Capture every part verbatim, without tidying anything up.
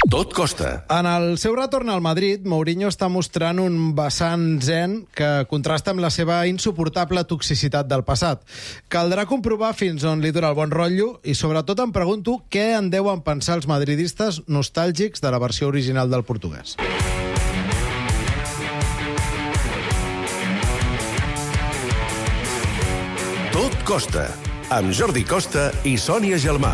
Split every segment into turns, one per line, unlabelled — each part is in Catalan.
Tot costa.
En el seu retorn al Madrid, Mourinho està mostrant un vessant zen que contrasta amb la seva insuportable toxicitat del passat. Caldrà comprovar fins on li dura el bon rotllo i, sobretot, em pregunto què en deuen pensar els madridistes nostàlgics de la versió original del portuguès.
Tot costa, amb Jordi Costa i Sònia Gelmà.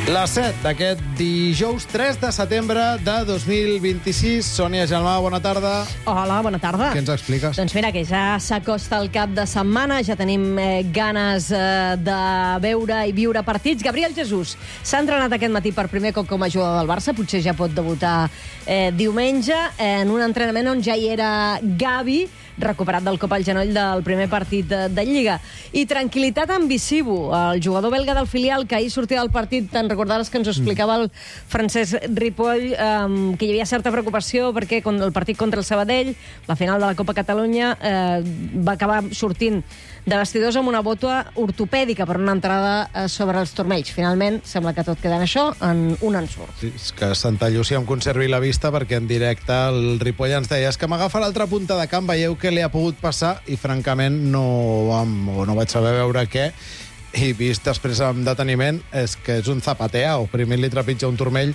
La set d'aquest dijous tres de setembre de dos mil vint-i-sis. Sònia Gelmà, bona tarda.
Hola, bona tarda.
Què ens expliques?
Doncs mira, que ja s'acosta el cap de setmana, ja tenim eh, ganes eh, de veure i viure partits. Gabriel Jesús s'ha entrenat aquest matí per primer cop com a jugador del Barça, potser ja pot debutar eh, diumenge, eh, en un entrenament on ja hi era Gavi, recuperat del cop al genoll del primer partit de, de Lliga. I tranquil·litat en Visibu, el jugador belga del filial que ahir sortia del partit, te'n recordaves que ens ho explicava el Francesc Ripoll, um, que hi havia certa preocupació perquè el partit contra el Sabadell, la final de la Copa Catalunya, eh, va acabar sortint de vestidors amb una bota ortopèdica per una entrada eh, sobre els turmells. Finalment, sembla que tot queda en això, en un ensurt.
Sí, és que Santa Llúcia em conservi la vista, perquè en directe el Ripoll ens deia és que m'agafa l'altra punta de camp, veieu què li ha pogut passar, i francament no, o no vaig saber veure què, i vist després amb deteniment és que és un zapateao. Primer li trepitja un turmell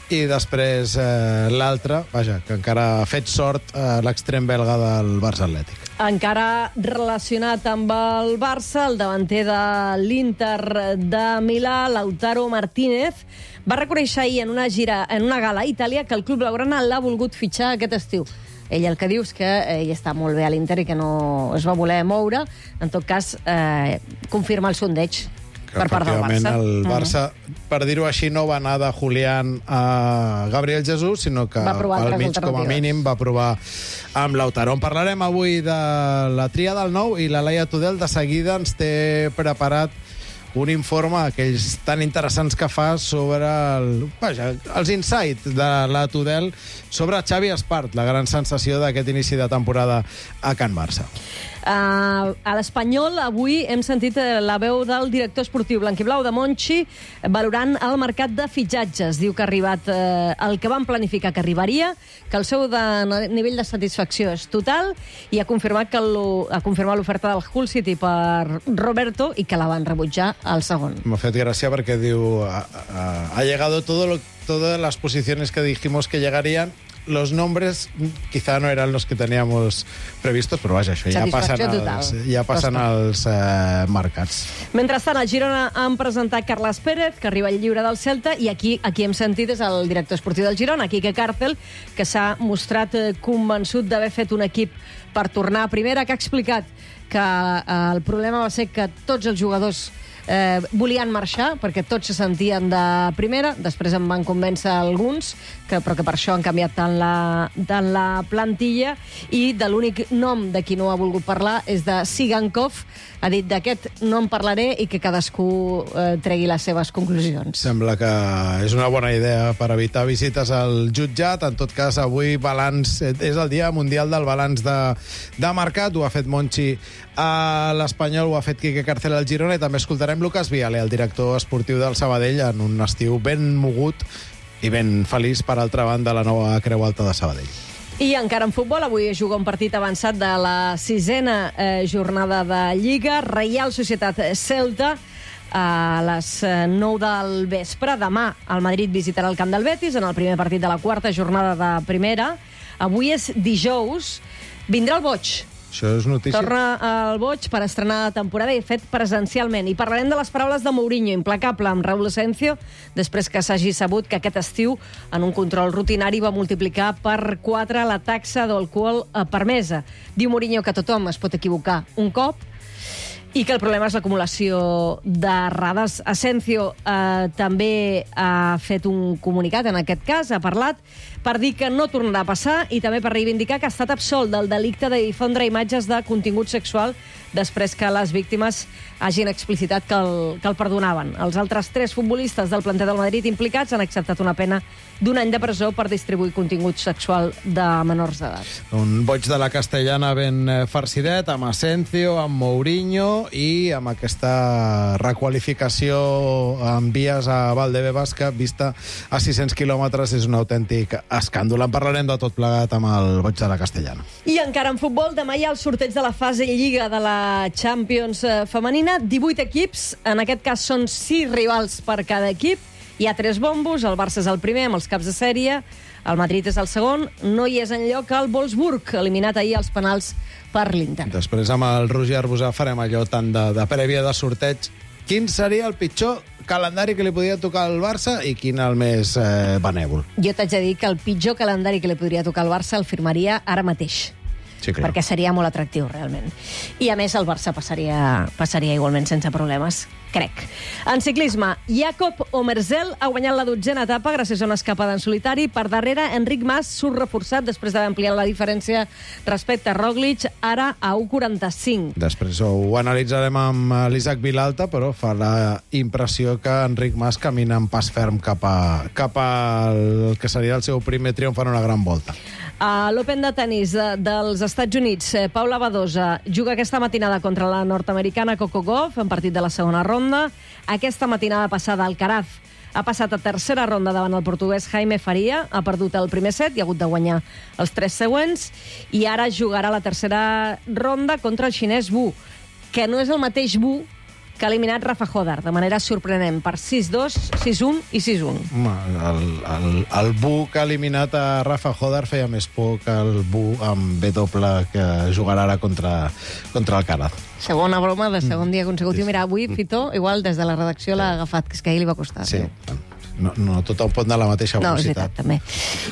i després eh, l'altre, vaja, que encara ha fet sort eh, l'extrem belga del Barça Atlètic.
Encara relacionat amb el Barça, el davanter de l'Inter de Milà, Lautaro Martínez, va reconèixer ahir en una gira, en una gala a Itàlia, que el club blaugrana l'ha volgut fitxar aquest estiu. Ell el que diu és que ell està molt bé a l'Inter i que no es va voler moure. En tot cas, eh, confirma el sondeig per part del Barça.
El Barça, mm. per dir-ho així, no va anar de Julián a Gabriel Jesús, sinó que al mig, com a mínim, va provar amb Lautaro. En parlarem avui de la tria del nou, i la Laia Tudel de seguida ens té preparat un informe, aquells tan interessants que fa sobre el, vaja, els insights de la Tudel sobre Xavi Espart, la gran sensació d'aquest inici de temporada a Can Barça.
Uh, a l'Espanyol avui hem sentit la veu del director esportiu blanquiblau de Monchi valorant el mercat de fitxatges. Diu que ha arribat uh, el que van planificar que arribaria, que el seu de, nivell de satisfacció és total, i ha confirmat que lo, ha confirmat l'oferta del Hull City per Roberto i que la van rebutjar al segon.
M'ha fet gràcia perquè diu ha, ha, ha llegado todo lo, todas las posiciones que dijimos que llegarían. Los nombres quizá no eran los que teníamos previstos, però vaja, això ja passen als, ja passen als eh, mercats.
Mentrestant, el Girona han presentat Carles Pérez, que arriba al lliure del Celta, i aquí aquí hem sentit és el director esportiu del Girona, Quique Cárcel, que s'ha mostrat eh, convençut d'haver fet un equip per tornar a primera, que ha explicat que eh, el problema va ser que tots els jugadors Eh, volien marxar perquè tots se sentien de primera. Després en van convèncer alguns, que, però que per això han canviat tant la, tant la plantilla, i de l'únic nom de qui no ha volgut parlar és de Sigankov. Ha dit d'aquest no en parlaré i que cadascú eh, tregui les seves conclusions.
Sembla que és una bona idea per evitar visites al jutjat. En tot cas, avui balanç, és el dia mundial del balanç de, de mercat. Ho ha fet Monchi a l'Espanyol, ho ha fet Quique Cárcel al Girona, i també escoltarem Lucas Viale, el director esportiu del Sabadell, en un estiu ben mogut i ben feliç, per altra banda, la nova Creu Alta de Sabadell.
I encara en futbol, avui juga un partit avançat de la sisena eh, jornada de Lliga. Reial Societat Celta a les nou del vespre. Demà el Madrid visitarà el camp del Betis en el primer partit de la quarta jornada de primera. Avui és dijous. Vindrà el boig.
Això és notícia.
Torna al boig per estrenar la temporada, i fet presencialment. I parlarem de les paraules de Mourinho, implacable amb Raúl Asencio, després que s'hagi sabut que aquest estiu, en un control rutinari, va multiplicar per quatre la taxa d'alcohol permesa. Diu Mourinho que tothom es pot equivocar un cop, i que el problema és l'acumulació d'errades. Asencio eh, també ha fet un comunicat, en aquest cas, ha parlat per dir que no tornarà a passar, i també per reivindicar que ha estat absolt del delicte de difondre imatges de contingut sexual després que les víctimes hagin explicitat que el, que el perdonaven. Els altres tres futbolistes del planter del Madrid implicats han acceptat una pena d'un any de presó per distribuir contingut sexual de menors d'edat.
Un boig de la Castellana ben farcidet, amb Asensio, amb Mourinho i amb aquesta requalificació en vies a Valdebebas que, vista a sis-cents quilòmetres, és un autèntic escàndol. En parlarem de tot plegat amb el boig de la Castellana.
I encara en futbol, demà hi ha el sorteig de la fase Lliga de la Champions femenina. divuit equips, en aquest cas són sis rivals per cada equip. Hi ha tres bombos, el Barça és el primer amb els caps de sèrie, el Madrid és el segon, no hi és enlloc el Wolfsburg, eliminat ahir als penals per l'Inter.
Després amb el Roger Arbusà farem allò tant de, de prèvia de sorteig. Quin seria el pitjor calendari que li podria tocar al Barça i quin el més eh, benèvol?
Jo t'haig de dir que el pitjor calendari que li podria tocar al Barça el firmaria ara mateix.
Sí, clar.
Perquè seria molt atractiu, realment. I, a més, el Barça passaria, passaria igualment sense problemes, crec. En ciclisme, Jakob Omerzel ha guanyat la dotzena etapa gràcies a una escapada en solitari. Per darrere, Enric Mas surt reforçat després d'haver ampliat la diferència respecte a Roglic, ara a u quaranta-cinc.
Després ho analitzarem amb l'Isaac Vilalta, però fa la impressió que Enric Mas camina en pas ferm cap a, cap al que seria el seu primer triomf en una gran volta.
A l'Open de tenis dels Estats Units, Paula Badosa juga aquesta matinada contra la nord-americana Coco Gauff en partit de la segona ronda. Aquesta matinada passada, Alcaraz ha passat a tercera ronda davant el portuguès Jaime Faria, ha perdut el primer set i ha hagut de guanyar els tres següents, i ara jugarà la tercera ronda contra el xinès Wu, que no és el mateix Wu que ha eliminat Rafa Hodar, de manera sorprenent, per sis dos, sis un i sis un.
Home, el, el, el Bu que ha eliminat a Rafa Hodar feia més por que el Bu amb B doble que jugarà ara contra, contra Alcaraz.
Segona broma de segon dia consecutiu. Mira, avui Fito, igual des de la redacció l'ha agafat, que és que ahir li va costar.
Sí, no, no tothom pot anar a la mateixa velocitat.
No, és veritat, també.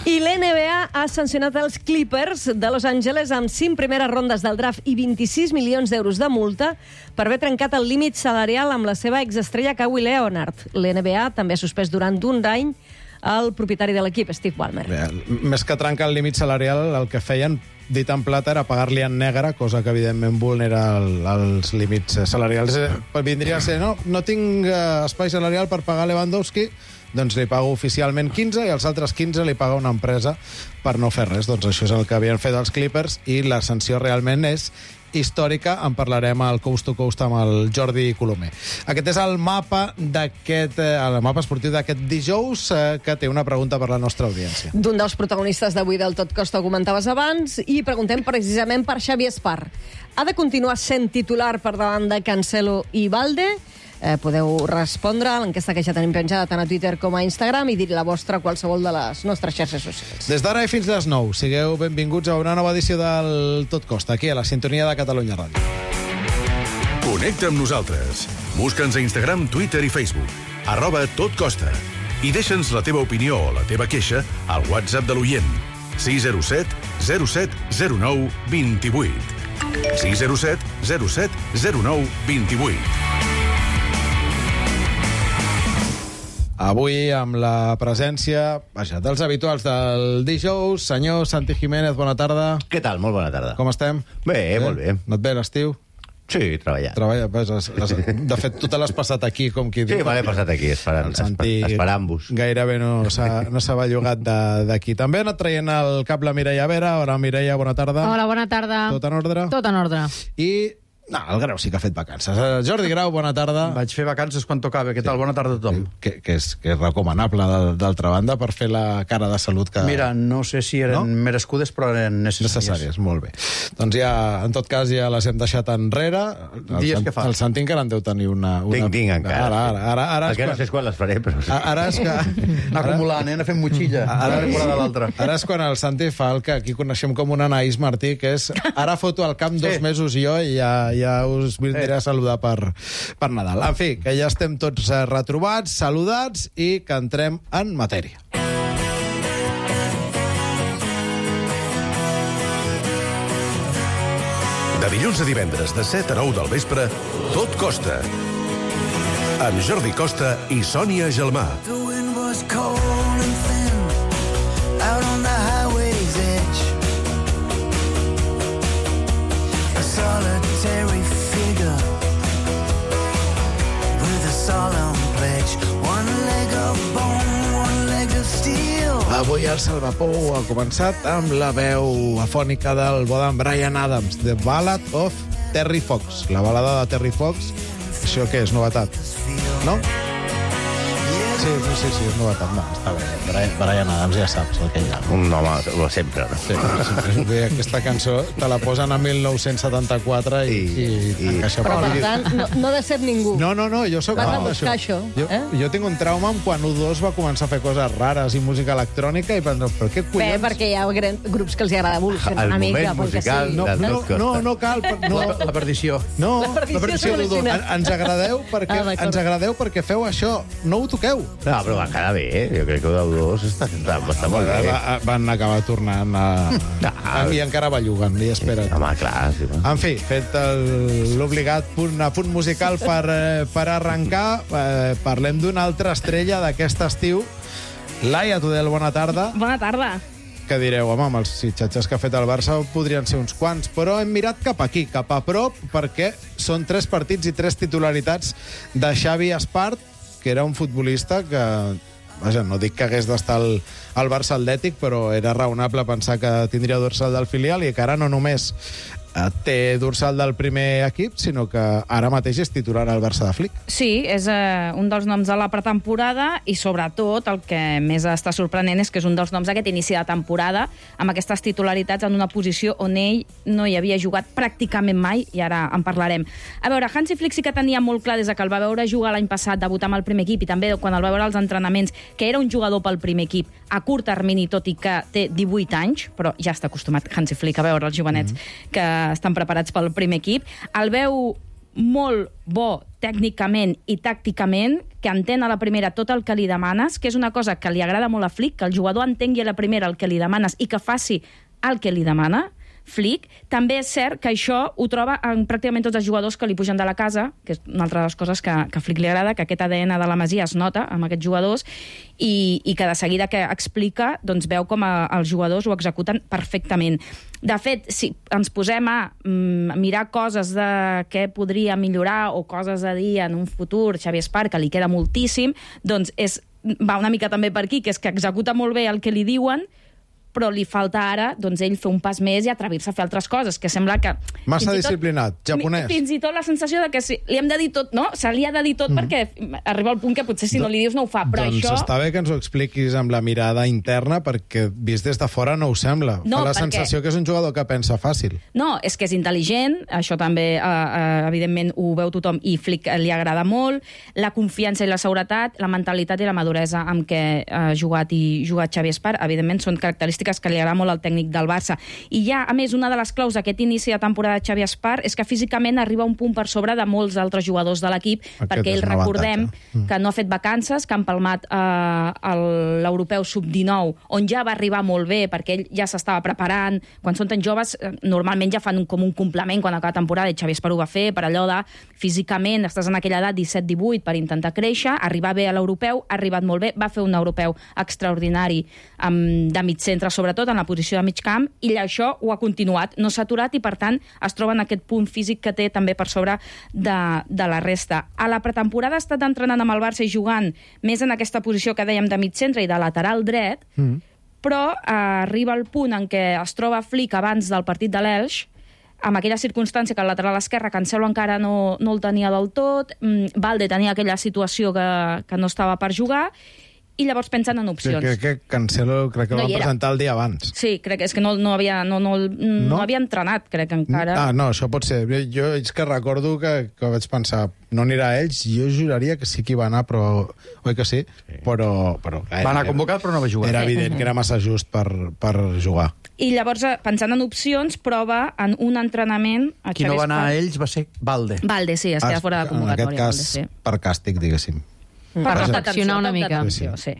I l'N B A ha sancionat els Clippers de Los Angeles amb cinc primeres rondes del draft i vint-i-sis milions d'euros de multa per haver trencat el límit salarial amb la seva exestrella Kawhi Leonard. L'N B A també ha suspès durant un any el propietari de l'equip, Steve Ballmer.
Bé, més que trencar el límit salarial, el que feien, dit en plata, era pagar-li en negre, cosa que evidentment vulnera el, els límits salarials. Vindria a ser, no, no tinc uh, espai salarial per pagar Lewandowski, doncs li pago oficialment quinze i els altres quinze li paga una empresa per no fer res. Doncs això és el que havien fet els Clippers i la sanció realment és històrica. En parlarem al Coast to Coast amb el Jordi Colomer. Aquest és el mapa d'aquest el mapa esportiu d'aquest dijous, eh, que té una pregunta per la nostra audiència.
D'un dels protagonistes d'avui del Tot Costa ho comentaves abans, i preguntem precisament per Xavi Espar. Ha de continuar sent titular per davant de Cancelo i Balde? Eh, podeu respondre a l'enquesta que ja tenim penjada tant a Twitter com a Instagram i dir la vostra a qualsevol de les nostres xarxes socials.
Des d'ara i fins les nou, sigueu benvinguts a una nova edició del Tot Costa, aquí a la sintonia de Catalunya Ràdio.
Connecta amb nosaltres. Busca'ns a Instagram, Twitter i Facebook. Arroba Tot Costa. I deixa'ns la teva opinió o la teva queixa al WhatsApp de l'oient. sis zero set zero set zero nou dos vuit. sis zero set zero set zero nou dos vuit.
Avui amb la presència, vaja, dels habituals del dijous. Senyor Santi Jiménez, bona tarda.
Què tal? Molt bona tarda.
Com estem?
Bé, eh? molt bé.
No et ve l'estiu?
Sí, treballant.
Treballa, pues, has, has, de fet, tu te l'has passat aquí, com qui
sí,
diu.
Sí, me l'he passat aquí, esperant, esperant-vos.
Gairebé no s'ha no bellugat d'aquí. També ha anat traient el cap la Mireia Vera. Hola, Mireia, bona tarda.
Hola, bona tarda.
Tot en ordre?
Tot en ordre.
I... No, el Grau sí que ha fet vacances. Jordi Grau, bona tarda.
Vaig fer vacances quan tocava. Què tal? Sí. Bona tarda a tothom.
Que, que, és, que és recomanable, d'altra banda, per fer la cara de salut que...
Mira, no sé si eren no? merescudes, però eren necessàries.
Necessàries, molt bé. Doncs ja, en tot cas, ja les hem deixat enrere. El,
Dies
Sant,
que fa.
El Santi encara en deu tenir una... una...
Tinc, tinc, encara.
Ara, ara, ara, ara
Perquè no sé quan les faré, però...
Ara és que...
Anar acumulant, eh? Anar fent motxilla. Ara, ara, l'altra.
Ara és quan el Santi fa el que aquí coneixem com una Anaïs Martí, que és ara foto al camp dos sí. mesos i jo i ja, ja us vindré a saludar per, per Nadal. En fi, que ja estem tots retrobats, saludats i que entrem en matèria.
De dilluns a divendres, de set a nou del vespre, Tot Costa. Amb Jordi Costa i Sònia Gelmà.
The wind was cold and thin out on the highway's edge. A solitary
el Salvapou ha començat amb la veu afònica del bo d'en Bryan Adams, The Ballad of Terry Fox. La balada de Terry Fox, això què és, novetat? No? Sí, sí, sí, és novetat. No, està bé.
Brian, Bryan Adams ja saps el que hi ha.
Un home, lo sempre, no?
Sí, sempre. Aquesta cançó te la posen a mil nou-cents setanta-quatre i, i, i, i encaixa.
Però, per tant, no, no de ser ningú.
No, no, no, jo sóc
Vas a
fan
buscar
d'això.
això,
Jo,
eh?
jo tinc un trauma amb quan U dos va començar a fer coses rares i música electrònica i penso, però què
Bé,
collons?
perquè hi ha gran- grups que els agrada evolucionar
El
una mica.
moment
perquè
musical
sí.
No,
de
no,
tot costa.
no, no cal. per- No,
La, la perdició.
no,
La perdició
d'U dos.
s'evoluciona.
En- Ens agradeu perquè
Ah, d'acord.
ens agradeu perquè feu això. No ho toqueu.
No, però va quedar bé, eh? Jo crec que el del dos està, està, està molt bé.
Va, van acabar tornant a...
Ah.
I encara belluguen, i espera't.
Home, clar, sí. Va.
En fi, fet el- l'obligat punt, a punt musical per, eh, per arrencar, eh, parlem d'una altra estrella d'aquest estiu. Laia Tudel, bona tarda.
Bona tarda.
Que direu, home, amb els fitxatges que ha fet el Barça podrien ser uns quants, però hem mirat cap aquí, cap a prop, perquè són tres partits i tres titularitats de Xavi Espart, que era un futbolista que... Vaja, no dic que hagués d'estar al, al Barça Atlètic, però era raonable pensar que tindria dorsal del filial i que ara no només eh, té dorsal del primer equip, sinó que ara mateix és titular al Barça de Flick.
Sí, és eh, un dels noms de la pretemporada i, sobretot, el que més està sorprenent és que és un dels noms d'aquest inici de temporada, amb aquestes titularitats en una posició on ell no hi havia jugat pràcticament mai, i ara en parlarem. A veure, Hansi Flick sí que tenia molt clar des de que el va veure jugar l'any passat, debutar amb el primer equip, i també quan el va veure als entrenaments, que era un jugador pel primer equip a curt termini, tot i que té divuit anys, però ja està acostumat Hansi Flick a veure els jovenets mm-hmm. que estan preparats pel primer equip. El veu molt bo tècnicament i tàcticament, que entén a la primera tot el que li demanes, que és una cosa que li agrada molt a Flick, que el jugador entengui a la primera el que li demanes i que faci el que li demana Flick. També és cert que això ho troba en pràcticament tots els jugadors que li pugen de la casa, que és una altra de les coses que, que a Flick li agrada, que aquest A D N de la Masia es nota amb aquests jugadors i, i que de seguida que explica, doncs veu com a, els jugadors ho executen perfectament. De fet, si ens posem a mm, mirar coses de què podria millorar o coses a dir en un futur Xavi Espart, que li queda moltíssim, doncs és, va una mica també per aquí, que és que executa molt bé el que li diuen, però li falta ara, doncs, ell fer un pas més i atrevir-se a fer altres coses, que sembla que...
Massa disciplinat, japonès.
Fins i tot la sensació de que si, li hem de dir tot, no? Se li ha de dir tot mm. perquè arriba al punt que potser si no li dius no ho fa, però
doncs
això...
Doncs està bé que ens ho expliquis amb la mirada interna, perquè vist des de fora no ho sembla.
No,
fa la
perquè...
sensació que és un jugador que pensa fàcil.
No, és que és intel·ligent, això també, eh, eh, evidentment, ho veu tothom i Flick li agrada molt, la confiança i la seguretat, la mentalitat i la maduresa amb què ha jugat i jugat Xavi Espart, evidentment, són característiques que li agrada molt al tècnic del Barça. I ja, a més, una de les claus d'aquest inici de temporada de Xavi Espart és que físicament arriba un punt per sobre de molts altres jugadors de l'equip,
Aquest
perquè ell, recordem,
mm.
que no ha fet vacances, que han palmat eh, l'europeu sub dinou, on ja va arribar molt bé, perquè ell ja s'estava preparant. Quan són tan joves, eh, normalment ja fan un, com un complement quan acaba la temporada, i Xavi Espart ho va fer, per allò de físicament, estàs en aquella edat disset divuit per intentar créixer, arribar bé a l'europeu, ha arribat molt bé, va fer un europeu extraordinari um, de mig centre, sobretot en la posició de mig camp, i això ho ha continuat, no s'ha aturat i per tant es troba en aquest punt físic que té també per sobre de, de la resta. A la pretemporada ha estat entrenant amb el Barça i jugant més en aquesta posició que dèiem de mig centre i de lateral dret, mm. però eh, arriba el punt en què es troba Flick abans del partit de l'Elx, amb aquella circumstància que el lateral esquerre Cancelo encara no, no el tenia del tot, mm, Valde tenia aquella situació que, que no estava per jugar, i llavors pensen en opcions.
Crec que Cancelo crec que
No
el
hi
van
era.
presentar el dia abans.
Sí, crec que és que no, no, havia, no, no, no, no havia entrenat, crec, encara.
Ah, no, això pot ser. Jo és que recordo que, que vaig pensar, no anirà a ells, jo juraria que sí que hi va anar, però... Oi que sí? sí. Però, però...
Va anar convocat, però no va jugar.
Era evident que era massa just per, per jugar.
I llavors, pensant en opcions, prova en un entrenament... A
Qui no va anar a ells va ser Valde.
Valde, sí, es queda fora de convocatòria.
En aquest cas,
Valde, sí.
per càstig, diguéssim.
Per reflexionar una mica.
Sí, sí.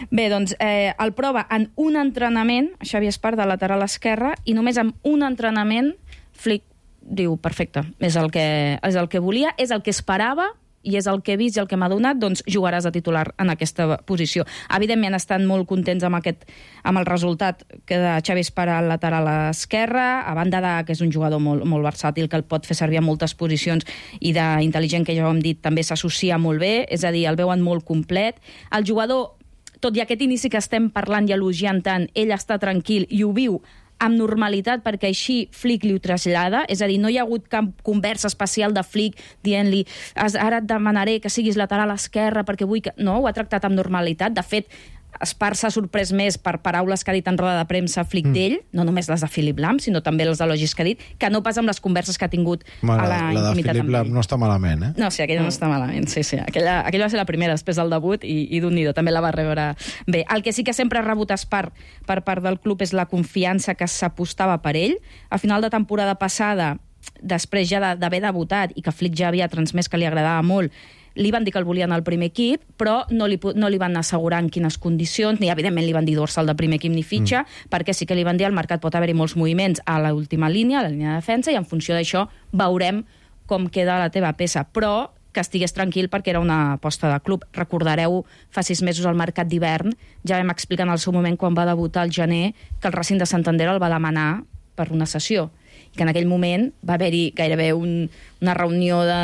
Bé, doncs, eh, el prova en un entrenament, Xavi Espart, de lateral esquerre, i només amb un entrenament Flick diu, perfecte, és el que, és el que volia, és el que esperava, i és el que he vist i el que m'ha donat, doncs jugaràs a titular en aquesta posició. Evidentment estan molt contents amb, aquest, amb el resultat que de Xavi Espart al lateral esquerre, a banda de que és un jugador molt, molt versàtil, que el pot fer servir a moltes posicions, i d'intel·ligent, que ja ho hem dit, també s'associa molt bé, és a dir, el veuen molt complet. El jugador tot i aquest inici que estem parlant i elogiant tant, ell està tranquil i ho viu amb normalitat, perquè així Flick li ho trasllada, és a dir, no hi ha hagut cap conversa especial de Flick dient-li ara et demanaré que siguis lateral esquerre perquè vull que... No, ho ha tractat amb normalitat. De fet, Espar s'ha sorprès més per paraules que ha dit en roda de premsa Flick mm. d'ell, no només les de Philip Lahm, sinó també les elogis que ha dit, que no pas amb les converses que ha tingut
Ma,
a la,
la
intimitat.
La de Philip Lahm no està malament, eh?
No, sí, aquella no està malament, sí, sí. Aquella, aquella va ser la primera després del debut i, i d'un nido, també la va rebre bé. El que sí que sempre ha rebut Espar per part del club és la confiança que s'apostava per ell. A final de temporada passada, després ja d'haver debutat i que Flick ja havia transmès que li agradava molt, li van dir que el volien al primer equip, però no li, no li van assegurar en quines condicions, ni evidentment li van dir dorsal del primer equip ni fitxa, mm. perquè sí que li van dir al mercat pot haver-hi molts moviments a l'última línia, a la línia de defensa, i en funció d'això veurem com queda la teva peça. Però que estigués tranquil perquè era una aposta de club. Recordareu, fa sis mesos al mercat d'hivern, ja vam explicar en el seu moment quan va debutar al gener que el Racing de Santander el va demanar per una sessió, que en aquell moment va haver-hi gairebé un, una reunió de,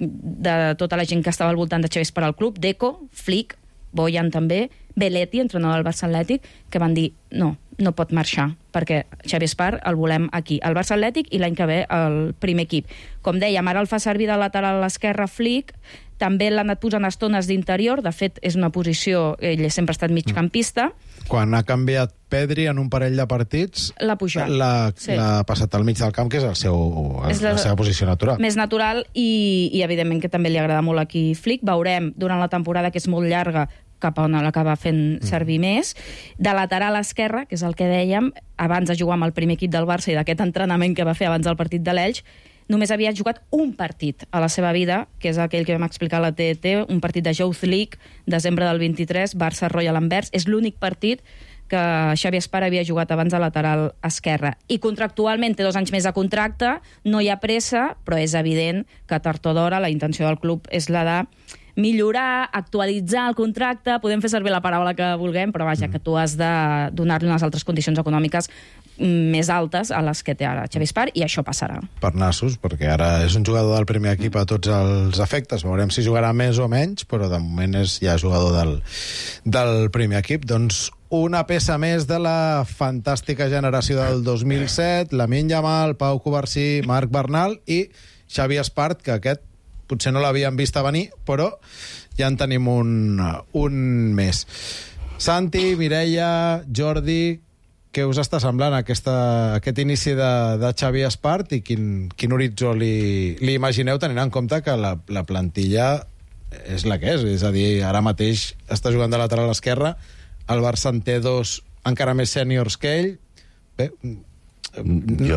de, de tota la gent que estava al voltant de Xavi Espar al club, Deco, Flick, Bojan també, Belletti, entrenador del Barça Atlètic, que van dir no, no pot marxar, perquè Xavi Espar el volem aquí, al Barça Atlètic i l'any que ve al primer equip. Com dèiem, ara el fa servir de lateral a l'esquerra Flick, també l'ha anat posant estones d'interior, de fet és una posició, ell sempre ha estat migcampista.
Quan ha canviat Pedri en un parell de partits,
l'ha pujat.
L'ha
sí.
passat al mig del camp, que és, el seu, és la, la seva posició natural.
Més natural i, i evidentment que també li agrada molt aquí Flick. Veurem durant la temporada, que és molt llarga, cap a on l'acaba fent servir mm. més. De lateral esquerra, que és el que dèiem, abans de jugar amb el primer equip del Barça i d'aquest entrenament que va fer abans del partit de l'Elx, només havia jugat un partit a la seva vida, que és aquell que vam explicar a la T E T, un partit de Youth League, desembre del vint-i-tres, Barça Royal Anvers. És l'únic partit que Xavi Espar havia jugat abans a lateral esquerra. I contractualment té dos anys més de contracte, no hi ha pressa, però és evident que tard o d'hora la intenció del club és la de millorar, actualitzar el contracte, podem fer servir la paraula que vulguem, però vaja, mm. que tu has de donar-li unes altres condicions econòmiques més altes a les que té ara Xavi Espar, i això passarà.
Per nassos, perquè ara és un jugador del primer equip a tots els efectes. Veurem si jugarà més o menys, però de moment és ja jugador del, del primer equip. Doncs una peça més de la fantàstica generació del dos mil set, Lamine Yamal, Pau Covarsí, Marc Bernal i Xavi Espart, que aquest potser no l'havien vist a venir, però ja en tenim un, un més. Santi, Mireia, Jordi, què us està semblant aquesta, aquest inici de, de Xavi Espart i quin, quin horitzó li, li imagineu, tenint en compte que la, la plantilla és la que és, és a dir, ara mateix està jugant de lateral esquerra, el Barça en té dos encara més sèniors que ell. Bé, jo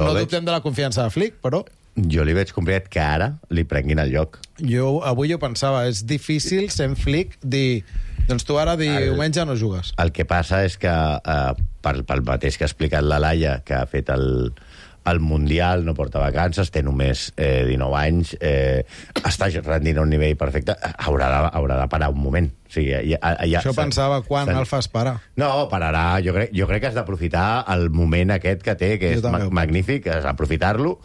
no veig... dubtem de la confiança de Flick, però...
Jo li veig complicat que ara li prenguin el lloc.
Jo avui ho pensava, és difícil sent Flick dir, doncs tu ara diumenge no jugues.
El que passa és que, eh, pel, pel mateix que ha explicat la Laia, que ha fet el, el Mundial, no porta vacances, té només eh, dinou anys, eh, està rendint a un nivell perfecte, haurà de, haurà de parar un moment. O sigui, ja, ja,
Això pensava, quan el fas parar?
No, pararà. Jo crec, jo crec que has d'aprofitar el moment aquest que té, que és ma magnífic, has d'aprofitar-lo,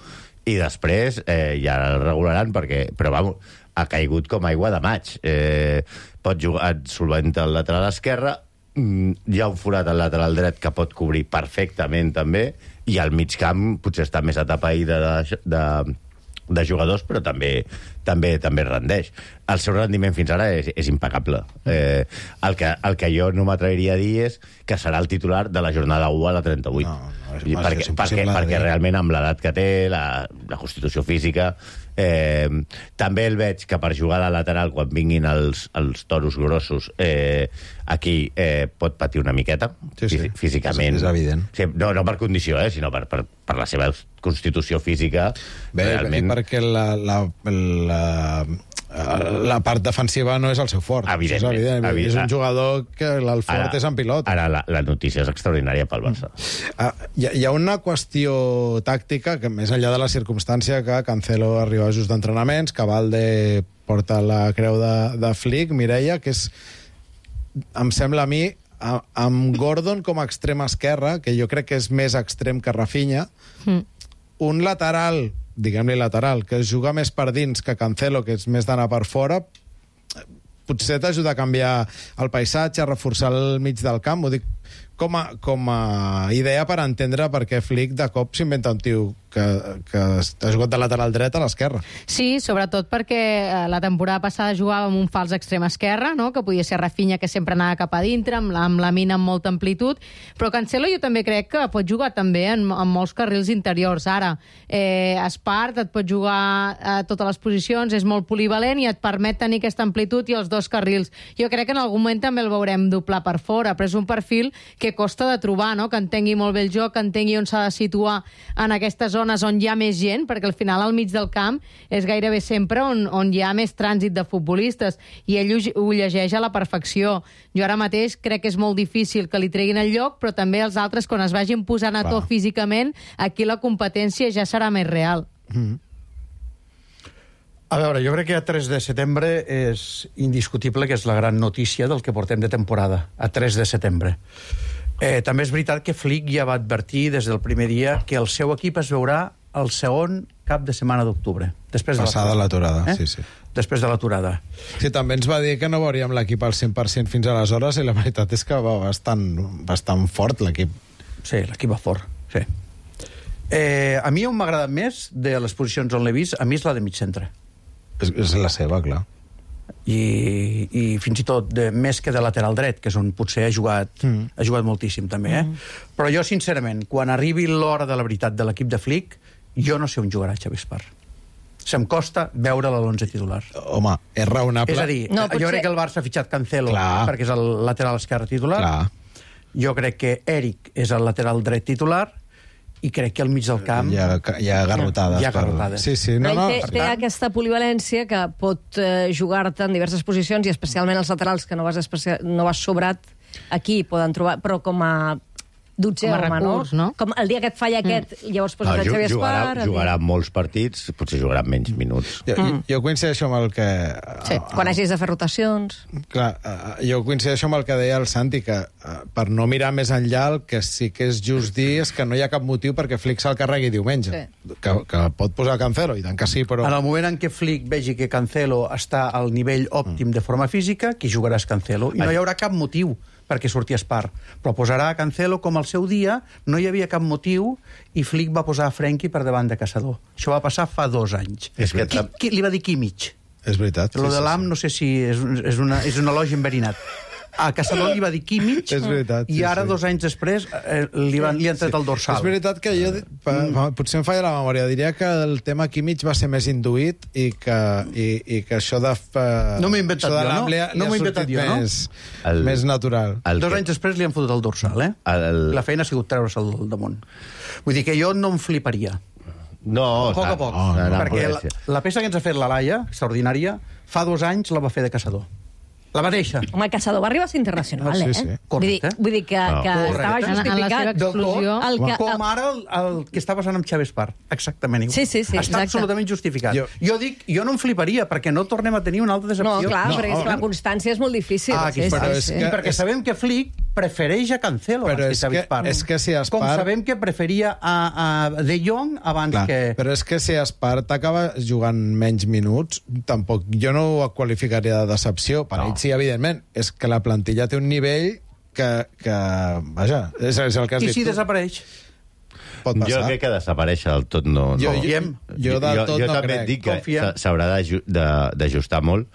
i després eh, ja el regularan, perquè, però vamos, ha caigut com aigua de maig. Eh, pot jugar, et solventa el lateral esquerre, hi ha un forat al lateral dret que pot cobrir perfectament també, i al mig camp potser està més atapeïda de, de, de jugadors, però també, també, també rendeix. El seu rendiment fins ara és, és impecable. Eh, el, que, el que jo no m'atreviria a dir és que serà el titular de la jornada u a la trenta-vuit. No, no, és, I perquè, és perquè, perquè realment amb l'edat que té, la, la constitució física, eh, també el veig que per jugar de lateral quan vinguin els, els toros grossos eh, aquí eh, pot patir una miqueta,
sí, sí.
físicament.
És, és evident.
Sí, no, no per condició, eh, sinó per, per, per la seva constitució física.
Bé,
realment...
perquè la, la, la, la part defensiva no és el seu fort. És evident. És un jugador que el fort ara, és en pilot.
Ara la, la notícia és extraordinària pel Barça.
Ah, hi, hi ha una qüestió tàctica que, més enllà de la circumstància que Cancelo arriba just d'entrenaments, que Valde porta la creu de, de Flick, Mireia, que és, em sembla a mi, a, amb Gordon com a extrem esquerra, que jo crec que és més extrem que Rafinha, mm. un lateral, diguem-li lateral, que es juga més per dins que Cancelo, que és més d'anar per fora, potser t'ajuda a canviar el paisatge, a reforçar el mig del camp, ho dic com a, com a idea per entendre per què Flick de cop s'inventa un tio que, que ha jugat de lateral dret a l'esquerra.
Sí, sobretot perquè la temporada passada jugava amb un fals extrem esquerre, no? Que podia ser Rafinha, que sempre anava cap a dintre, amb la, amb la mina amb molta amplitud, però Cancelo jo també crec que pot jugar també en, en molts carrils interiors. Ara, eh, Espart et pot jugar a totes les posicions, és molt polivalent i et permet tenir aquesta amplitud i els dos carrils. Jo crec que en algun moment també el veurem doblar per fora, però és un perfil que costa de trobar, no? Que entengui molt bé el joc, que entengui on s'ha de situar en aquestes zones on hi ha més gent, perquè al final al mig del camp és gairebé sempre on, on hi ha més trànsit de futbolistes, i ell ho, ho llegeix a la perfecció. Jo ara mateix crec que és molt difícil que li treguin el lloc, però també els altres, quan es vagin posant a to físicament, aquí la competència ja serà més real.
Mm. A veure, jo crec que a tres de setembre és indiscutible que és la gran notícia del que portem de temporada, a tres de setembre. Eh, també és veritat que Flick ja va advertir des del primer dia que el seu equip es veurà el segon cap de setmana d'octubre.
Passada l'aturada,
eh?
sí, sí.
Després de l'aturada.
Sí, també ens va dir que no veuríem l'equip al cent per cent fins aleshores, i la veritat és que va bastant, bastant fort l'equip.
Sí, l'equip va fort, sí. Eh, a mi on m'ha agradat més de les posicions on l'he vist, a mi és la de mig centre.
És, és la seva, clar.
I, i fins i tot de, més que de lateral dret, que és on potser ha jugat, mm. ha jugat moltíssim també, eh? Mm. Però jo, sincerament, quan arribi l'hora de la veritat de l'equip de Flick, jo no sé on jugarà Xavi Espart. Se'm costa veure a l'onze titular.
Home, és raonable.
És a dir, no, potser... jo crec que el Barça ha fitxat Cancelo, clar, perquè és el lateral esquerre titular.
Clar.
Jo crec que Eric és el lateral dret titular, i crec que al mig del camp...
Hi ha, hi ha garrotades.
Hi ha garrotades.
Sí, sí. No,
no,
no,
té, té aquesta polivalència que pot eh, jugar-te en diverses posicions, i especialment els laterals, que no vas, especial, no vas sobrat, aquí poden trobar, però com a dotzè home,
recurs,
no?
no?
Com el dia que et falla aquest, mm. llavors poses
no,
el Xavi
jugarà,
Espart...
Jugarà molts partits, potser jugarà menys minuts.
Jo, mm. jo coincideixo amb el que...
Sí, uh, quan hagis de fer rotacions...
Clar, uh, jo coincideixo amb el que deia el Santi, que uh, per no mirar més enllà, el que sí que és just dir és que no hi ha cap motiu perquè Flick se'l carregui diumenge. Sí. Que, que pot posar Cancelo, i tant que sí, però...
En el moment en què Flick vegi que Cancelo està al nivell òptim mm. de forma física, qui jugarà és Cancelo, i no hi haurà cap motiu perquè surti Espart. Però posarà a Cancelo com al seu dia, no hi havia cap motiu, i Flick va posar a Frenkie per davant de Caçador. Això va passar fa dos anys.
És que
qui, qui, li va dir Kimmich.
És veritat.
Lo
sí,
de l'Am
sí, sí.
no sé si és, és, una, és un elogi enverinat. A Caçador li va dir Kimmich,
és veritat,
i
sí,
ara,
sí.
dos anys després, eh, li, van, li han tret
sí.
el dorsal.
És veritat que jo, mm. potser em falla la memòria, diria que el tema Kimmich va ser més induït, i que, i, i que això de... Uh,
no m'he inventat jo, no? No m'he inventat jo, no?
Més, el, més natural.
Dos
que...
anys després li han fotut el dorsal, eh? El... La feina ha sigut treure'l del damunt. Vull dir que jo no em fliparia.
No,
a poc a poc. No, no, perquè la, la peça que ens ha fet la Laia, extraordinària, fa dos anys la va fer de Caçador. La mateixa.
Home, el Caçador va arribar a ser internacional,
sí,
eh?
sí.
Vull dir, vull dir que,
no.
que estava justificat.
Del tot,
el que,
com ara el, el que està passant amb Xavi Espart. Exactament igual.
Sí, sí, sí,
està
exacte.
absolutament justificat. Jo... jo dic, jo no em fliparia, perquè no tornem a tenir una altra decepció.
No, clar,
no,
perquè
no.
la constància és molt difícil.
Ah,
sí,
però
sí,
és
sí.
que, perquè és... sabem que Flick prefereix a Cancelo
però
abans
és
que Xavi
que,
Espart.
és que si Espart...
Com sabem que preferia a, a De Jong abans
clar,
que...
Però és que si Espart acaba jugant menys minuts, tampoc jo no ho qualificaria de decepció. Per no. ell sí, evidentment. És que la plantilla té un nivell que... que vaja, és, és el que has
I
dit
si
tu.
desapareix?
Pot passar.
Jo crec que desaparèixer del tot no...
Jo,
no.
jo, jo del tot
jo, jo
no
també
crec.
dic que
Confiem.
s'haurà d'ajustar molt,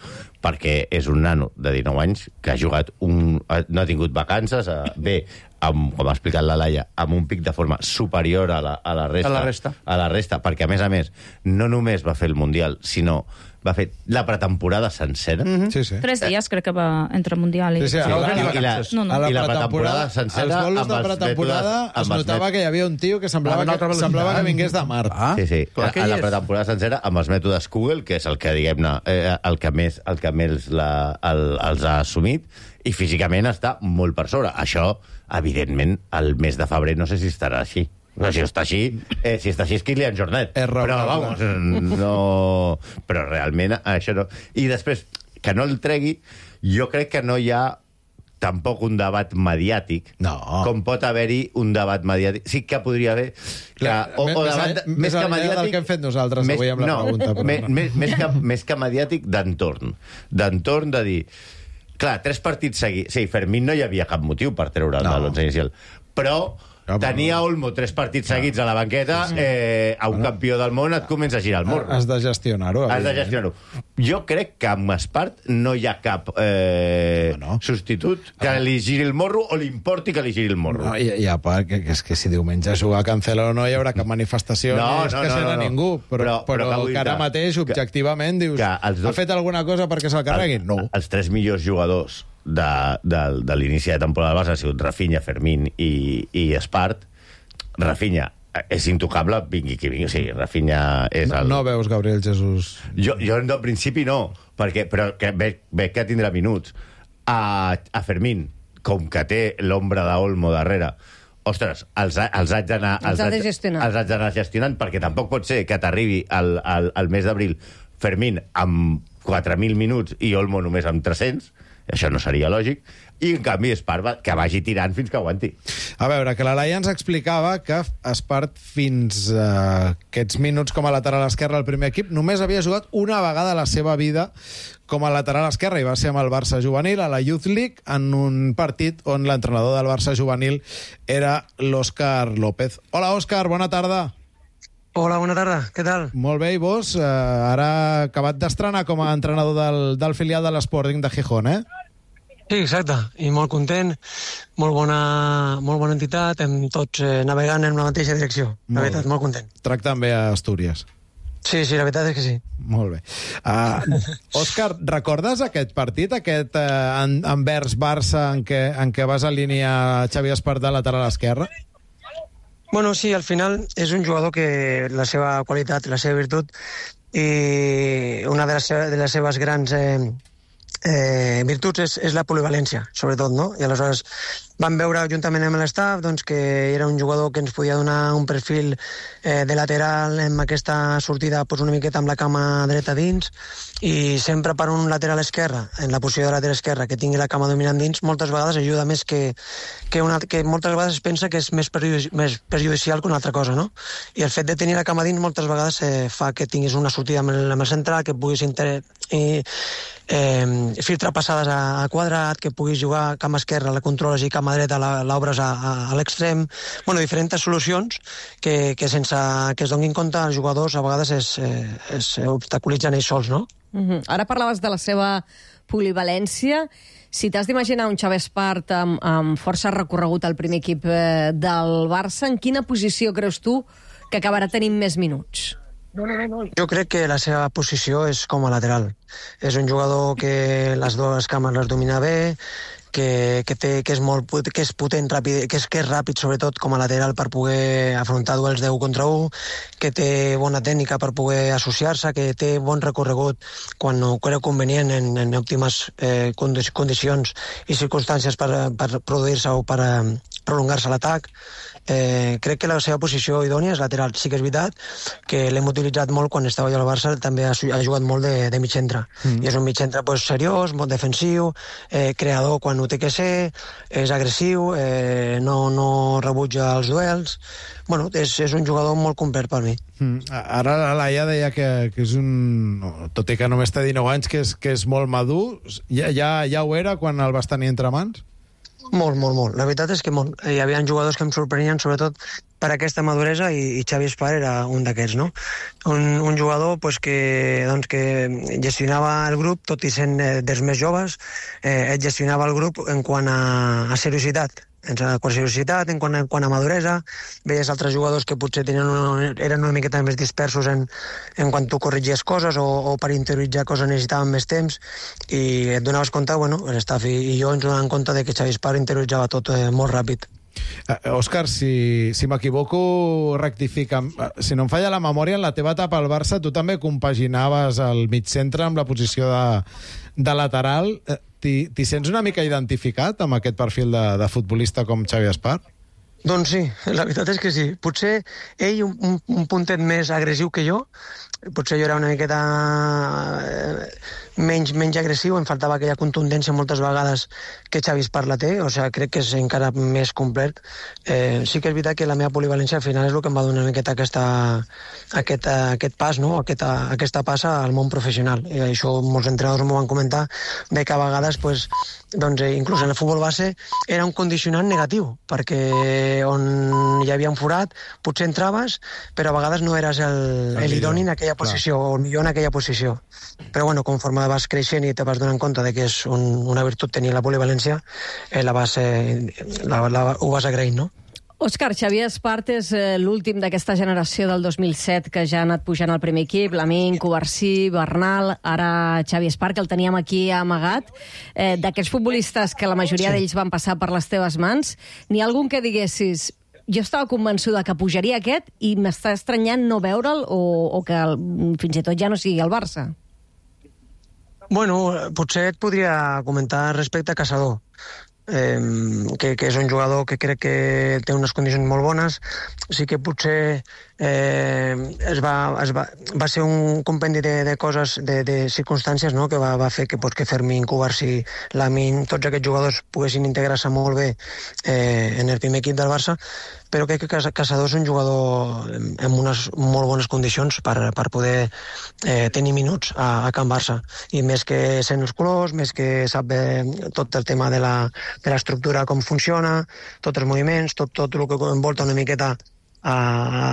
perquè és un nano de dinou anys que ha jugat un... no ha tingut vacances, bé, amb, com ha explicat la Laia, amb un pic de forma superior a la, a la resta.
A la resta.
A la resta, perquè, a més a més, no només va fer el Mundial, sinó va fer la pretemporada sencera.
Mm-hmm.
Sí, sí.
Tres dies crec que va entre Mundial i...
Sí, sí, a la-
I la,
No, no.
A la
i la
pretemporada,
pretemporada sencera...
els bolos
amb
de
els
pretemporada
mètodes-
es
amb els
notava
mètodes-
que hi havia un tio que semblava,
Amb una
que,
altra velocitat.
semblava que vingués de Mart.
Ah,
Sí, sí,
clar
a,
que
a
hi
la
és.
pretemporada sencera amb els mètodes Google, que és el que, diguem-ne, eh, el que més, el que més la, el, els ha assumit, i físicament està molt per sobre. Això, evidentment, el mes de febrer no sé si estarà així. No, si està així, eh, si està així és Kylian Jornet.
És
però,
raonable.
vamos, no... Però realment això no... I després, que no el tregui, jo crec que no hi ha tampoc un debat mediàtic,
no.
com pot haver-hi un debat mediàtic. Sí que podria haver... Que, o, o debat,
més, més que mediàtic... del que hem fet nosaltres més, avui amb la
no,
pregunta. Però
més, no. més, més, que, més que mediàtic, d'entorn. D'entorn de dir... Clar, tres partits seguits... Sí, Fermín no hi havia cap motiu per treure'l no. de l'onze inicial. Però... No, tenia Olmo tres partits no. seguits a la banqueta, sí, sí. Eh, a un no. campió del món et comença a girar el morro.
Has de gestionar-ho.
Has de gestionar-ho. Jo crec que amb Espart no hi ha cap eh, no, no. substitut que li giri el morro o li importi que li giri el morro.
No, i, i a part, que, que és que si diumenge juga a Cancelo no hi haurà cap manifestació
no,
ni és
no,
que
no,
serà
no, no.
ningú. Però, però, però que ara mateix, objectivament, dius, dos... ha fet alguna cosa perquè se'l carreguin? No.
Els tres millors jugadors de, de, de l'inici de temporada del Barça han sigut Rafinha, Fermín i, i Espart. Rafinha és intocable, vingui qui vingui. O sigui, Rafinha és el...
No, no veus Gabriel Jesús?
Jo, jo en principi no, perquè, però que veig, veig que tindrà minuts. A, a Fermín, com que té l'ombra d'Olmo darrere, ostres, els, els haig d'anar els,
els, haig,
els haig d'anar gestionant, perquè tampoc pot ser que t'arribi al, al, al mes d'abril Fermín amb quatre mil minuts i Olmo només amb tres-cents. Això no seria lògic. I, en canvi, Espart que vagi tirant fins que aguanti.
A veure, que la Laia ens explicava que Espart fins uh, aquests minuts com a lateral esquerre al primer equip només havia jugat una vegada a la seva vida com a lateral esquerre, i va ser amb el Barça juvenil a la Youth League, en un partit on l'entrenador del Barça juvenil era l'Òscar López. Hola, Òscar, bona tarda.
Hola, bona tarda, què tal?
Molt bé, i vos? Uh, ara acabat d'estrenar com a entrenador del, del filial de l'Sporting de Gijón, eh?
Sí, exacte, i molt content, molt bona, molt bona entitat, hem tots eh, navegant en la mateixa direcció, la molt veritat, molt content.
Tracten bé a Astúries.
Sí, sí, la veritat és que sí.
Molt bé. Uh, Òscar, recordes aquest partit, aquest uh, Anvers-Barça en què, en què vas alinear Xavi Espart de lateral esquerre?
Bueno, sí, al final és un jugador que la seva qualitat, la seva virtut i una de les, de les seves grans eh, eh, virtuts és, és la polivalència, sobretot, no? I aleshores vam veure juntament amb l'estaf doncs, que era un jugador que ens podia donar un perfil eh, de lateral amb aquesta sortida doncs, una miqueta amb la cama dreta dins, i sempre per un lateral esquerre, en la posició de lateral esquerre, que tingui la cama dominant dins, moltes vegades ajuda més que, que, una, que moltes vegades es pensa que és més, perjudici, més perjudicial que una altra cosa, no? I el fet de tenir la cama dins moltes vegades eh, fa que tinguis una sortida amb el, amb el central, que puguis inter... i, eh, filtrar passades a, a quadrat, que puguis jugar cama esquerra, la controles, i cama dreta l'obres a, a, a l'extrem. Bueno, diferents solucions que, que sense que es donin compte els jugadors a vegades es, eh, es obstaculitzen ells sols, no?
Uh-huh. Ara parlaves de la seva polivalència. Si t'has d'imaginar un Xavi Espart amb, amb força recorregut al primer equip eh, del Barça, en quina posició creus tu que acabarà tenint més minuts?
No, no, no. Jo crec que la seva posició és com a lateral. És un jugador que les dues cames les domina bé, que, que, té, que, és molt, que és potent, ràpid, que és, que és ràpid, sobretot, com a lateral per poder afrontar duels de u contra u, que té bona tècnica per poder associar-se, que té bon recorregut quan ho creu convenient en, en òptimes eh, condicions i circumstàncies per, per produir-se o per eh, prolongar-se l'atac. Eh, crec que la seva posició idònia és lateral. Sí que és veritat que l'hem utilitzat molt quan estava jo al Barça, també ha, ha jugat molt de, de mig centre. Mm. I és un mig centre pues, seriós, molt defensiu, eh, creador quan ho té que ser, és agressiu, eh, no, no rebutja els duels. Bueno, és, és un jugador molt complet per mi.
Mm. Ara la Laia deia que, que és un... Tot i que només té dinou anys, que és, que és molt madur. Ja, ja, ja ho era quan el vas tenir entre mans?
Molt, molt, molt. La veritat és que molt. Hi havia jugadors que em sorprenien, sobretot per aquesta maduresa, i, i Xavi Espart era un d'aquests, no? Un, un jugador pues, que, doncs, que gestionava el grup, tot i sent eh, dels més joves, eh, gestionava el grup en quant a, a seriositat. En quant a seriositat, en quant a, en quant a maduresa. Veies altres jugadors que potser tenien una, eren una miqueta més dispersos en, en quan tu corrigies coses o, o per interioritzar coses necessitaven més temps, i et donaves compte, bueno, l'estaf i, i jo ens donàvem compte de que Xavi Espart interioritzava tot eh, molt ràpid.
Uh, Òscar, si, si m'equivoco, rectifica. Si no em falla la memòria, en la teva etapa al Barça tu també compaginaves el mig centre amb la posició de, de lateral. T'hi sents una mica identificat amb aquest perfil de, de futbolista com Xavi Espart?
Doncs sí, la veritat és que sí. Potser ell un, un, un puntet més agressiu que jo, potser jo era una miqueta eh, menys, menys agressiu, em faltava aquella contundència moltes vegades que Xavi Espart la té, o sigui, crec que és encara més complet. Eh, sí que és veritat que la meva polivalència al final és el que em va donar una miqueta aquesta, aquest, aquest pas, no? aquesta, aquesta passa al món professional. I això molts entrenadors m'ho van comentar, de que a vegades, pues, doncs, inclús en el futbol base, era un condicionant negatiu, perquè on hi havia un forat, potser entraves, però a vegades no eres el, el idoni en aquella posició, o el millor en aquella posició. Però bueno, conforme vas creixent i te vas donant compte de que és un, una virtut tenir la polivalència, eh, la vas, eh, la, la, ho vas agraint, no?
Òscar, Xavier Espart és eh, l'últim d'aquesta generació del dos mil set que ja ha anat pujant al primer equip, Lamine, Covarsí, Bernal, ara Xavier Espart, que el teníem aquí amagat. Eh, D'aquests futbolistes que la majoria sí. d'ells van passar per les teves mans, n'hi ha algun que diguessis jo estava convençuda que pujaria aquest i m'està estranyant no veure'l o, o que el, fins i tot ja no sigui el Barça?
Bueno, potser et podria comentar respecte a Caçador. Eh, que, que és un jugador que crec que té unes condicions molt bones. Sí que potser eh, es va, es va, va ser un compendi de, de coses, de, de circumstàncies, no? que va, va fer que, pues, que Fermín, Covarsí, Lamine, tots aquests jugadors poguessin integrar-se molt bé eh, en el primer equip del Barça, però crec que Caçador és un jugador amb unes molt bones condicions per, per poder eh, tenir minuts a, a Can Barça, i més que sent els colors, més que sap eh, tot el tema de la de l'estructura, com funciona, tots els moviments, tot, tot el que envolta una miqueta a,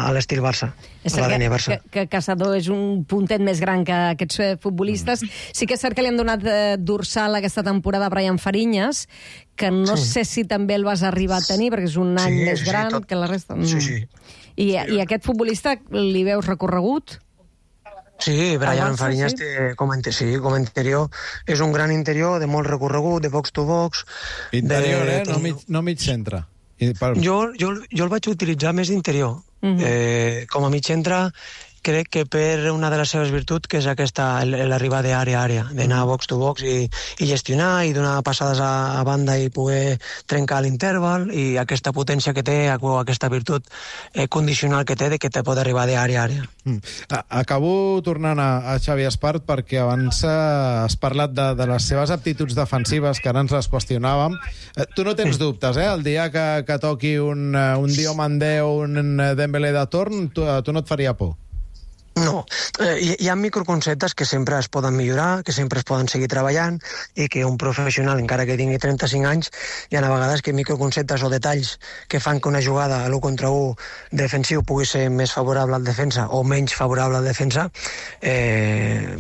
a l'estil Barça,
és
a l'A D N
que,
Barça.
Que, que Caçador és un puntet més gran que aquests futbolistes. Mm. Sí que és cert que li han donat eh, dorsal aquesta temporada a Brian Fariñas, que no sí. sé si també el vas arribar a tenir, perquè és un any sí, més sí, gran tot... que la resta. Mm.
Sí, sí.
I, I aquest futbolista li veus recorregut?
Sí, Brian Fariñas, sí? Té, com, sí, com a interior, és un gran interior de molt recorregut, de box to box.
Interior,
de,
eh? No mig, no mig centre. Per...
Jo, jo, jo el vaig utilitzar més d'interior. Uh-huh. eh, com a mig centre, crec que per una de les seves virtuts, que és aquesta, l'arribar d'àrea a àrea, d'anar box to box i, i gestionar, i donar passades a, a banda i poder trencar l'interval, i aquesta potència que té, aquesta virtut eh, condicional que té, de que te pot arribar d'àrea a àrea.
Mm. Acabo tornant a, a Xavi Espart, perquè abans eh, has parlat de, de les seves aptituds defensives, que ara ens les qüestionàvem. Eh, tu no tens dubtes, eh? El dia que, que toqui un, un Diomandé o un Dembélé de torn, tu, tu no et faria por?
No, eh, hi, hi ha microconceptes que sempre es poden millorar, que sempre es poden seguir treballant, i que un professional, encara que tingui trenta-cinc anys, hi ha a vegades que microconceptes o detalls que fan que una jugada a l'u contra u defensiu pugui ser més favorable al defensa o menys favorable al defensa, eh,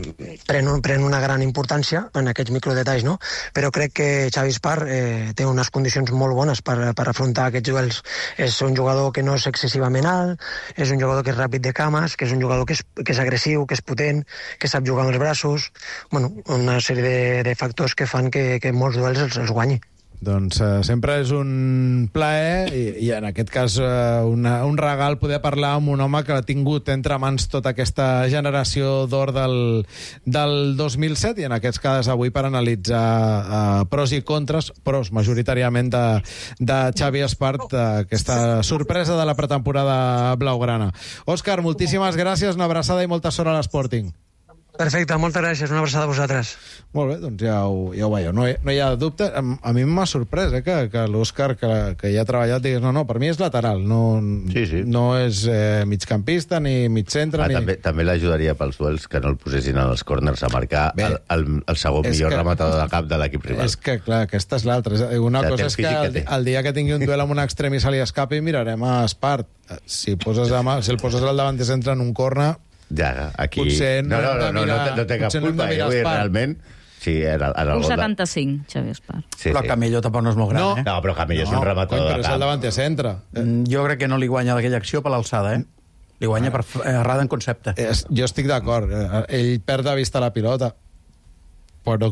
pren, un, pren una gran importància en aquests microdetalls, no? Però crec que Xavi Espart eh, té unes condicions molt bones per, per afrontar aquests duels. És un jugador que no és excessivament alt, és un jugador que és ràpid de cames, que és un jugador que és que és agressiu, que és potent, que sap jugar amb els braços, bueno, una sèrie de, de factors que fan que, que molts duels els, els guanyi.
Doncs uh, sempre és un plaer i, i en aquest cas uh, una, un regal poder parlar amb un home que ha tingut entre mans tota aquesta generació d'or del, del dos mil set, i en aquests cas avui per analitzar uh, pros i contres, pros majoritàriament de, de Xavi Espart, uh, aquesta sorpresa de la pretemporada blaugrana. Òscar, moltíssimes gràcies, una abraçada i molta sort a l'Sporting.
Perfecte, moltes gràcies, una abraçada a vosaltres.
Molt bé, doncs ja ho, ja ho veieu, no hi, no hi ha dubte. A, a mi m'ha sorprès eh, que, que l'Òscar, que, que ja ha treballat, digués, no, no, per mi és lateral, no,
sí, sí.
no és eh, migcampista ni mig centre.
Ah,
ni...
També, també l'ajudaria pels duels que no el posessin en els córners a marcar bé, el, el, el segon millor que, rematador de cap de l'equip rival.
És que, clar, aquesta és l'altra. Una ja cosa és que el, el dia que tingui un duel amb un extrem i se li escapi, mirarem a Espart. Si, poses a, si el poses al davant de centre en un córner...
Ja, aquí...
Potser
no, no, no, no, no, no, no té cap culpa. Eh? Avui, realment, sí, era, era
un setanta-cinc, Xavi Espart.
Sí, però sí. Camello tampoc no és molt gran,
no.
eh?
No, però Camello no, és un rematador de cap.
Però és el davant de centre.
Mm, jo crec que no li guanya aquella acció per l'alçada, eh? Li guanya per errada en concepte.
Es, jo estic d'acord. Ell perd de vista la pilota. Però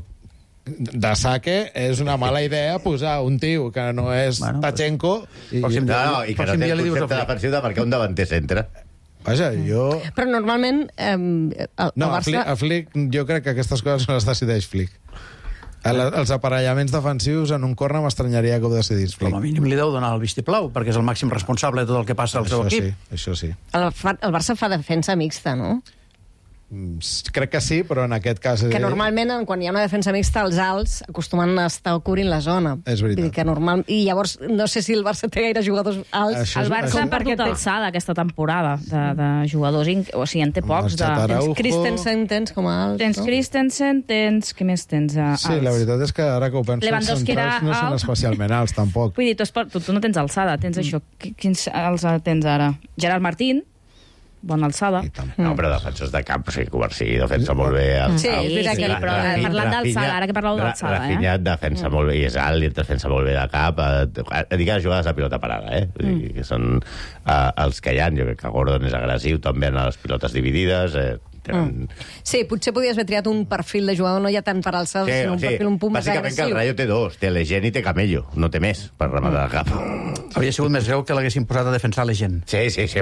de saque és una mala idea posar un tio que no és bueno, Tachenko i,
no, no, i que no té el concepte defensiu de marcar un davanter centre.
Vaja, jo...
Però normalment... Eh, el,
no,
el Barça...
a Flick, a Flick jo crec que aquestes coses no les decideix Flick. El, els aparellaments defensius en un corner m'estranyaria que ho decidís Flick.
Com a mínim li deu donar el vistiplau, perquè és el màxim responsable de tot el que passa al seu
Això
equip.
sí, això sí.
El, fa, el Barça fa defensa mixta, no?
Mm, Crec que sí, però en aquest cas...
Que normalment, quan hi ha una defensa mixta, els alts acostumen a estar cobrint la zona.
És veritat.
Vull dir que normal... I llavors, no sé si el Barça té gaire jugadors alts.
Això
El Barça ha perdut alçada aquesta temporada de, de jugadors, inc- o sigui, en té pocs. De...
Araujo.
Christensen tens com a alt,
Tens
no?
Christensen, tens... Què més tens? Uh,
Sí, la veritat és que ara que ho penso, els
Lewandowski era
centrals no són
alt.
especialment alts, tampoc.
Vull dir, tu, esport, tu, tu no tens alçada, tens això. Qui- Quins els tens ara? Gerard Martín, bona alçada.
No, però defensors de camp, o sigui, Covarsí defensa molt bé. El,
Sí,
el,
és veritat
sí,
que-
però
Rafinha-
parlant d'alçada, ara que parleu d'alçada, eh?
Rafinha defensa molt bé, i és alt, i defensa molt bé de cap. Eh, dic les jugades de pilota parada, eh? Vull dir, que són eh, els que hi ha. Jo crec que Gordon és agressiu, també en les pilotes dividides. Eh, tenen...
Sí, potser podies haver triat un perfil de jugador, no ja tant per alçada,
Sí,
sinó un
sí.
perfil un punt més
Bàsicament que el
agressiu.
Rayo té dos, té Legend i té Camello, no té més per rematar de cap.
Hauria sigut més greu que l'haguessin posat a defensar la gent.
Sí, sí, sí.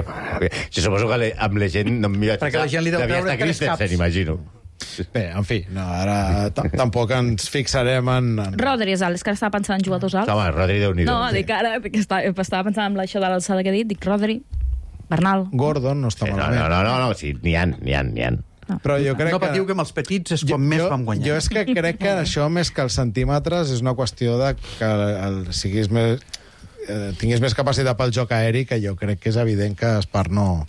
Si suposo que le- amb Legend no m'hi vaig
Perquè la gent li deu
devia
treure
estar
tres
Christensen,
caps.
imagino.
Bé, en fi, no, ara t- tampoc ens fixarem en... en...
Rodri és alt, és que ara estava pensant en jugadors alts.
Home, Rodri, Déu-n'hi-do.
No, dic ara, que estava, estava pensant en això de l'alçada que he dit, dic Rodri, Bernal.
Gordon no està
No,
malament.
no, no, no, no, sí, n'hi ha, n'hi ha, n'hi ha.
Però jo crec
No
que...
patiu que amb els petits és quan més
jo,
vam guanyar.
Jo és que crec que això, més que els centímetres, és una qüestió de que el, siguis més, eh, tinguis més capacitat pel joc aeri, que jo crec que és evident que Espar no,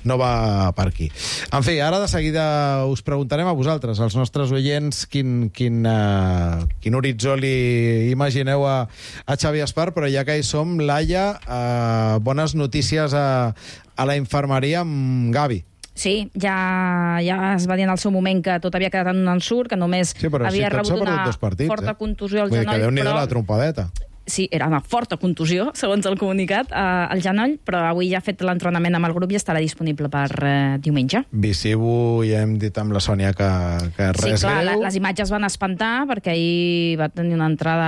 no va per aquí. En fi, ara de seguida us preguntarem a vosaltres, als nostres oients, quin, quin, uh, quin horitzó li imagineu a, a Xavi Espar, però ja que hi som, Laia, uh, bones notícies a, a la infermeria amb Gavi.
Sí, ja, ja es va dir en el seu moment que tot havia quedat en un ensurt, que només
Sí, però
havia
sí, tots s'ha
rebut
perdut
una
dos partits,
forta
eh?
contusió al
Vull dir que
genoll,
Déu-n'hi-do
però...
la trompadeta.
Sí, era una forta contusió, segons el comunicat, eh, al genoll, però avui ja ha fet l'entrenament amb el grup i estarà disponible per eh, diumenge.
Visivo, ja hem dit amb la Sònia que, que
Sí,
res
clar, la,
greu.
les imatges van espantar perquè ahir va tenir una entrada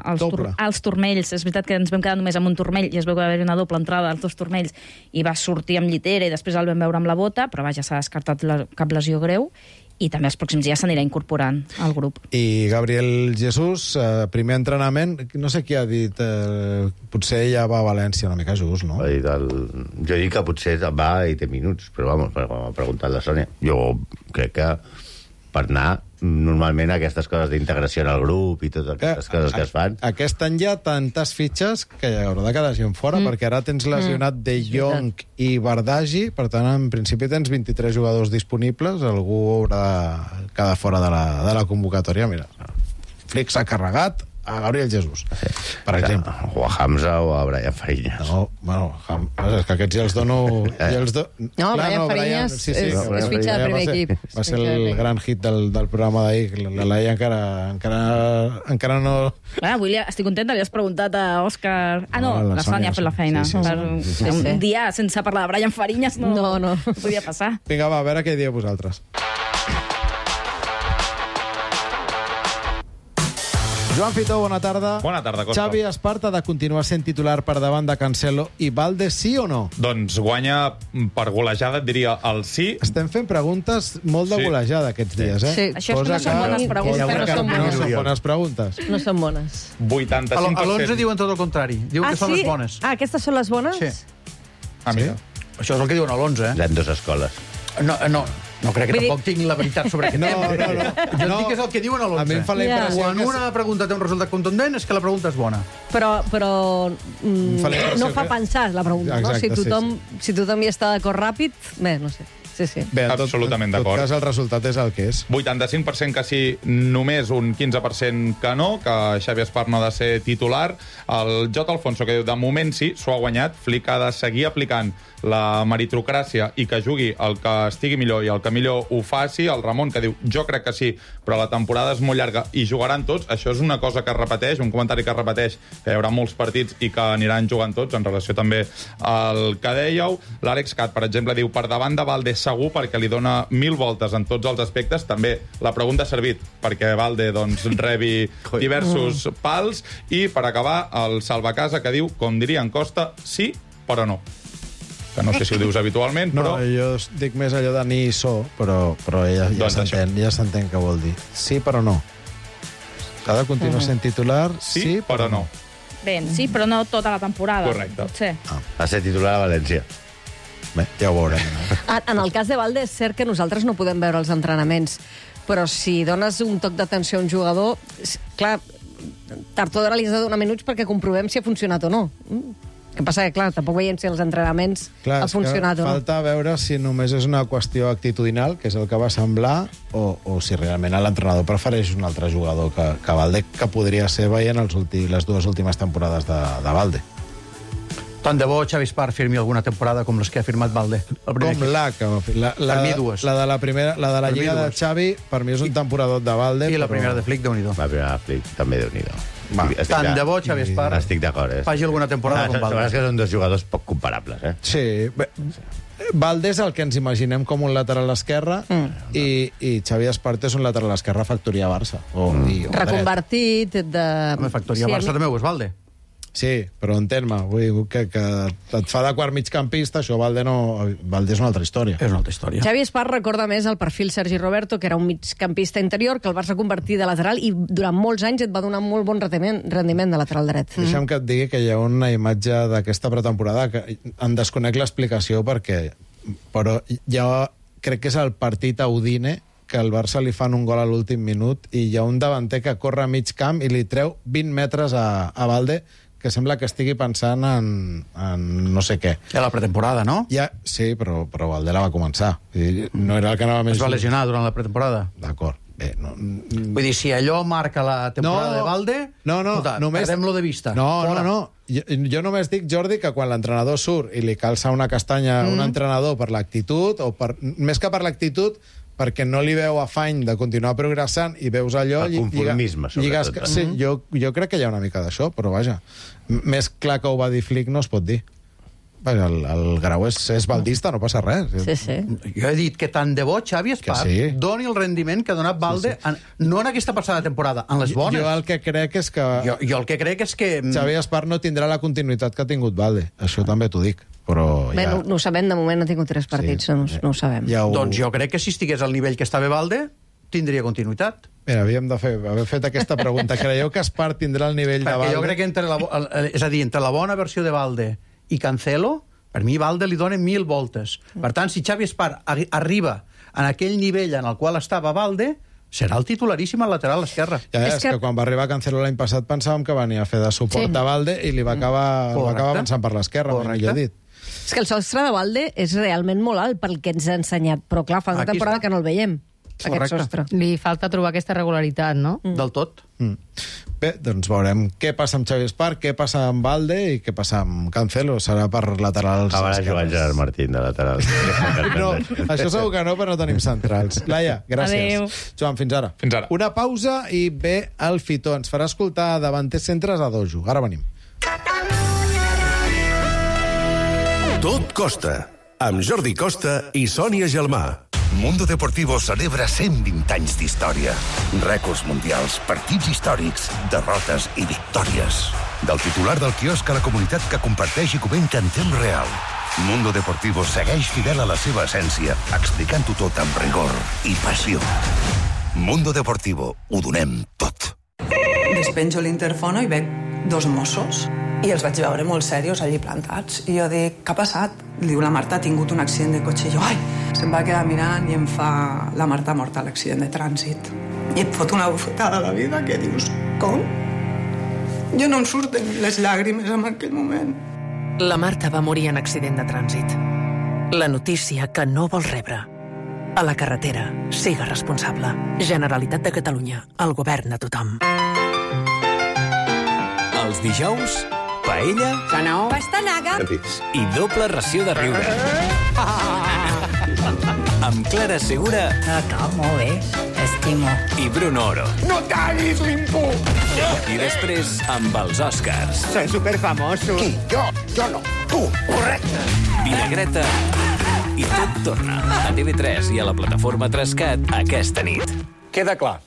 als, tur
Doble.
als turmells. És veritat que ens vam quedar només amb un turmell i es veu que va haver una doble entrada als dos turmells i va sortir amb llitera i després el vam veure amb la bota, però vaja, s'ha descartat la, cap lesió greu i també els pròxims dies s'anirà incorporant al grup.
I Gabriel Jesús, eh, primer entrenament, no sé qui ha dit, eh, potser ja va a València una mica just, no?
Va dir el... Jo dic que potser va i té minuts, però vamos, m'ha preguntat la Sònia. Jo crec que per anar normalment aquestes coses d'integració en el grup i totes aquestes
Que,
coses que
a-
es fan...
Aquest any hi ha tantes fitxes que hi haurà de quedar gent fora, mm. perquè ara tens lesionat mm. De Jong i Bardagi, per tant, en principi tens vint-i-tres jugadors disponibles, algú haurà de quedar fora de la, de la convocatòria. Mira, Flick s'ha carregat a Gabriel Jesús, per exemple.
O a Hamza o a Brian Fariñas.
No, bueno, Ham- és que aquests ja els dono... Ja els do...
No, Brian Fariñas
sí, sí,
és-
no,
és
Brian
fitxa de
Fariñas
primer
va ser-
equip.
Va ser
Fitxa de
el
primer
gran hit del, del programa d'ahir. La Laia encara, encara, encara no...
Ah, avui li, estic contenta, li has preguntat a Òscar... Ah, no,
No, la
la,
Sònia,
Sònia ha fet la
sí,
feina.
sí, sí,
per,
sí,
sí,
un
sí.
dia sense parlar de Brian Fariñas no,
No, no.
no podia passar.
Vinga, va, a veure què dieu vosaltres. Joan Fitó, bona tarda.
Bona tarda, Costa.
Xavi Esparta ha de continuar sent titular per davant de Cancelo i Valde, sí o no?
Doncs guanya per golejada, et diria el sí.
Estem fent preguntes molt de
Sí.
golejada aquests dies, eh?
Sí.
Això és que no són bones preguntes,
cosa
no
que
són
no
bones.
són bones preguntes.
No són bones.
A
vuitanta-cinc per cent.
l'onze diuen tot el contrari. Diuen
Ah,
que són
sí?
les bones.
Ah, aquestes són les bones?
Sí.
Ah, mira.
Això és el que diuen a l'onze, eh?
Hi ha dues escoles.
No, no, no crec que
Vull dir-
tampoc tinc la veritat sobre aquest
No,
tema.
no, no.
Jo
No.
et dic que és el que diuen a l'onze.
A mi em fa la
Ja.
impressió
Quan
que...
una pregunta té un resultat contundent és que la pregunta és bona.
Però, però mm,
Em fa la impressió
no fa
que-
pensar la pregunta, no?
Exacte,
Si
sí,
tothom, si tothom hi està d'acord ràpid, bé, no sé. Sí, sí.
Bé, en tot,
Absolutament
en tot
d'acord.
cas, el resultat és el que és.
vuitanta-cinc per cent que sí, només un quinze per cent que no, que Xavi Espar no ha de ser titular. El J. Alfonso, que diu, de moment sí, s'ho ha guanyat. Flick ha de seguir aplicant la meritocràcia i que jugui el que estigui millor i el que millor ho faci. El Ramon, que diu, jo crec que sí, però la temporada és molt llarga i jugaran tots. Això és una cosa que es repeteix, un comentari que es repeteix, que hi haurà molts partits i que aniran jugant tots, en relació també al que dèieu. L'Àlex Cat, per exemple, diu, per davant de Valde segur, perquè li dona mil voltes en tots els aspectes. També la pregunta ha servit perquè Valde doncs, rebi diversos pals. I, per acabar, el Salvacasa, que diu, com diria en Costa, sí, però no. Que no sé si ho dius habitualment,
No,
però...
jo dic més allò de ni i so, però, però ja, ja
Doncs
s'entén ja s'entén què vol dir. Sí, però no. Ha de continuar sent titular,
Sí,
sí,
però no.
Bé, sí, però no tota la temporada.
Correcte.
Potser.
Va ser titular a València.
Bé, ja ho veurem.
En- En el cas de Valde, és cert que nosaltres no podem veure els entrenaments, però si dones un toc d'atenció a un jugador, és- clar, tard o d'hora li has de donar minuts perquè comprovem si ha funcionat o no. Mm. El que passa que, clar, tampoc veiem si els entrenaments
Clar,
ha
és que
funcionat o no.
falta veure si només és una qüestió actitudinal, que és el que va semblar, o, o si realment l'entrenador prefereix un altre jugador que, que Valde, que podria ser veient els ulti, les dues últimes temporades de, de Valde.
Tant de bo Xavi Espart firmi alguna temporada com les que ha firmat Valde. El primer
Com
equip.
la que va fer. La, la,
Per mi, dues.
La de la, primera, la, de la
Per mi,
Lliga de
dues.
Xavi, per mi és un temporador de Valde.
I la
però-
primera de Flick, Déu-n'hi-do.
La primera Flick, també Déu-n'hi-do.
Va,
Estic- estic
Tant
de-
de bo Xavi Espart
Estic d'acord, eh?
faci alguna temporada
Ah,
com
la veritat
Valde.
és que són dos jugadors poc comparables, eh?
Sí. Bé, Valde és el que ens imaginem com un lateral esquerre mm. i, i Xavi Espart és un lateral esquerre factoria Barça. O, mm. i, o dret.
Reconvertit, de...
Home, factoria
Sí, a
Barça
mi-
també ho és Valde.
Sí, però entén-me, vull dir que, que et fa de quart migcampista, això Valde, no, Valde és una altra història.
És una altra història.
Xavi Espart recorda més el perfil Sergi Roberto, que era un migcampista interior, que el vas reconvertir de lateral i durant molts anys et va donar molt bon rendiment, rendiment de lateral dret.
Mm. Deixa'm que et digui que hi ha una imatge d'aquesta pretemporada que en desconec l'explicació perquè... Però jo crec que és el partit a Udine que al Barça li fan un gol a l'últim minut i hi ha un davanter que corre a mig camp i li treu vint metres a, a Valde, que sembla que estigui pensant en, en no sé què.
Ja la pretemporada, no?
Ja, sí, però, però Valde la va començar. I no era el que anava més...
Es va lesionar durant la pretemporada.
D'acord. Bé, no...
Vull dir, si allò marca la temporada
No,
de Valde,
no, no,
escolta,
només-
perdem-lo de vista.
No,
Fora.
no, no. Jo, jo només dic, Jordi, que quan l'entrenador surt i li calça una castanya a
Mm.
un entrenador per l'actitud, o per, més que per l'actitud, perquè no li veu afany de continuar progressant i veus allò...
El
lli-
conformisme,
lliga-
sobretot,
lligues-
eh?
Sí, jo, jo crec que hi ha una mica d'això, però vaja, m- més clar que ho va dir Flick no es pot dir. Vaja, el, el Grau és, és baldista, no passa res.
Sí, sí.
Jo he dit que tant de bo Xavi Espart
Que sí.
doni el rendiment que ha donat Valde, sí, sí. En, no en aquesta passada temporada, en les bones.
Jo el que crec és que...
Jo, jo el que crec és que...
Xavi Espart no tindrà la continuïtat que ha tingut Valde. Això també t'ho dic. Però
Bé,
ja...
no, no ho sabem, de moment ha tingut tres partits,
Sí.
no, no ho sabem.
Ja ho...
Doncs jo crec que si estigués al nivell que estava Valde, tindria continuïtat.
Mira, havíem de fer, haver fet aquesta pregunta. Creieu que Espart tindrà el nivell de
Perquè
Valde?
jo crec que entre la, bo- el- és a dir, entre la bona versió de Valde i Cancelo, per mi Valde li dona mil voltes. Per tant, si Xavi Espart arri- arriba en aquell nivell en el qual estava Valde, serà el titularíssim al lateral esquerre.
Ja, és,
És
és que...
que-
que quan va arribar Cancelo l'any passat pensàvem que venia a fer de suport
Sí.
sí. a Valde i li va acabar, va
Correcte.
acabar avançant per l'esquerra,
Correcte.
millor dit.
És que el sostre de Valde és realment molt alt pel que ens ha ensenyat, però clar, fa una
Aquí
temporada
està.
que no el veiem, aquest
Correcte.
sostre.
Li falta trobar aquesta regularitat, no?
Mm. Del tot.
Mm. Bé, doncs veurem què passa amb Xavi Espart, què passa amb Valde i què passa amb Cancelo. Serà per laterals
Acabarà jugant
esquerres.
Gerard Martín de lateral.
No, això segur que no, però no tenim centrals. Laia, gràcies.
Adéu.
Joan, fins ara.
Fins ara.
Una pausa i ve el Fitó. Ens farà escoltar davanters centres a dojo. Ara venim.
Tot costa, amb Jordi Costa i Sònia Gelmà.
Mundo Deportivo celebra cent vint anys d'història. Rècords mundials, partits històrics, derrotes i victòries. Del titular del quiosc a la comunitat que comparteix i comenta en temps real. Mundo Deportivo segueix fidel a la seva essència, explicant-ho tot amb rigor i passió. Mundo Deportivo, ho donem tot.
Despenjo l'interfono i veig dos Mossos i els vaig veure molt serios allí plantats. I jo dic, què ha passat? Diu, la Marta ha tingut un accident de cotxe. I jo, ai, se'm va quedar mirant i em fa... La Marta ha mort a l'accident de trànsit. I et fot una bufetada a la vida que dius, com? Jo no em surten les llàgrimes en aquell moment.
La Marta va morir en accident de trànsit. La notícia que no vols rebre. A la carretera, siga responsable. Generalitat de Catalunya, el govern a tothom.
Els dijous, paella
Pastanaga
i doble ració de riure. Amb Clara Segura
Acá, molt bé, estimo.
i Bruno Oro.
No tallis l'imput!
I després amb els Oscars.
Soy superfamoso. Qui? Jo? Jo no. Tu, correcte.
Vinagreta i tot torna a T V tres i a la plataforma Trascat aquesta nit.
Queda clar.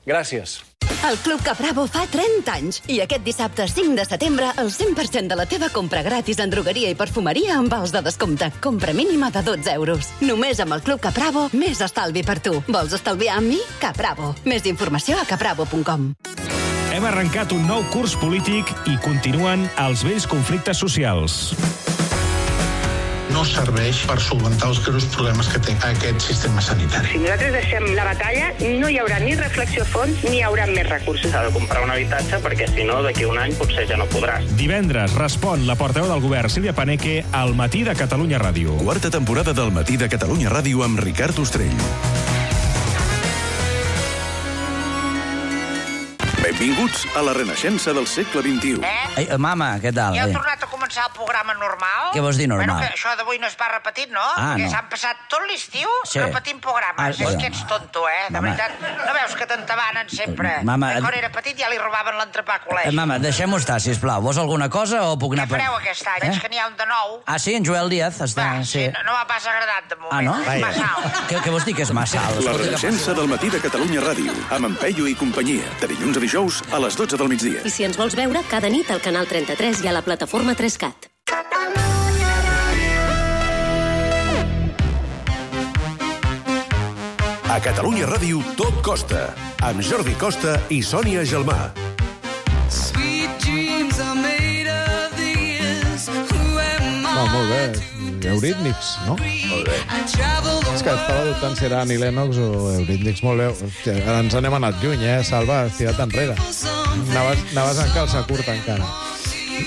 Gràcies.
El Club Capravo fa trenta anys i aquest dissabte cinc de setembre el cent per cent de la teva compra gratis en drogueria i perfumeria amb vals de descompte. Compra mínima de dotze euros. Només amb el Club Capravo, més estalvi per tu. Vols estalviar amb mi? Capravo. Més informació a capravo punt com.
Hem arrencat un nou curs polític i continuen els vells conflictes socials.
No serveix per solventar els greus problemes que té aquest sistema sanitari.
Si nosaltres deixem la batalla, no hi haurà ni reflexió a fons ni hi haurà més recursos.
S'ha de comprar un habitatge perquè, si no, d'aquí un any potser ja no podràs.
Divendres respon la portaveu del govern, Sílvia Paneque, al Matí de Catalunya Ràdio.
Quarta temporada del Matí de Catalunya Ràdio amb Ricard Ostrell. Benvinguts a la renaixença del segle vint-i-u.
Eh? Ei, mama, què tal?
Ja heu
eh?
tornat a començar el programa normal?
Què vols dir normal?
Bueno, que això d'avui no es va repetit, no?
Ah,
Perquè
no.
s'han passat tot l'estiu
Sí.
repetint programes.
Ah,
és
bueno.
que ets tonto, eh? De
Mama.
veritat. No veus que t'entabanen sempre?
Mama,
Que quan
et-
era petit ja li robaven l'entrepà a
Eh,
col·legi.
mama, deixem-ho estar, sisplau. Vols alguna cosa o puc anar...
Què fareu aquest any?
Eh?
Veig que n'hi ha un de nou.
Ah, sí, en Joel Díaz està...
Va, sí, no, no m'ha pas agradat de moment.
Ah, no?
És massa alt.
Què, què vols dir que és massa alt?
La
Escolta, que
renaixença del Matí de Catalunya Ràdio, amb en Peyu i companyia, de dilluns a dijous a les dotze del migdia.
I si ens vols veure, cada nit al canal trenta-tres i a la plataforma tres cat.
A Catalunya Ràdio tot costa, amb Jordi Costa i Sònia Gelmà.
No, molt bé. Eurídnics, no?
Molt bé.
És que estava dubtant si era Annie Lennox o Eurídnics. Molt bé. Hòstia, ara ens n'hem anat lluny, eh? Salva, has tirat enrere. Anaves, anaves en calça curta, encara.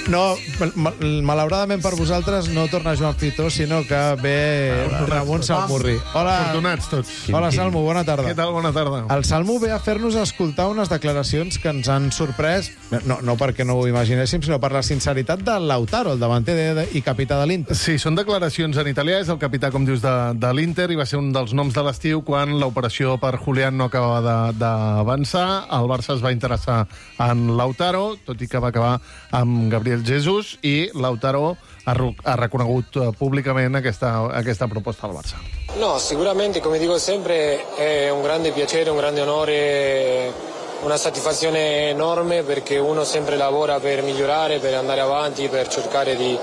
No, ma- malauradament per vosaltres no torna Joan Fitó, sinó que ve Ramon Salmurri. Hola.
Afortunats tots.
Hola, Salmo, bona tarda.
Què tal? Bona tarda.
El Salmo ve a fer-nos escoltar unes declaracions que ens han sorprès, no, no perquè no ho imaginéssim, sinó per la sinceritat de Lautaro, el davanter de, de, i capità de l'Inter.
Sí, són declaracions en italià, és el capità, com dius, de, de l'Inter, i va ser un dels noms de l'estiu quan l'operació per Julián no acabava de- d'avançar. El Barça es va interessar en Lautaro, tot i que va acabar amb Gabriel Jesus, i Lautaro ha, ru- ha reconegut eh, públicament aquesta, aquesta proposta al Barça.
No, sicuramente, come dico sempre, è un grande piacere, un grande onore, una soddisfazione enorme perché uno sempre lavora per migliorare, per andare avanti, per cercare di,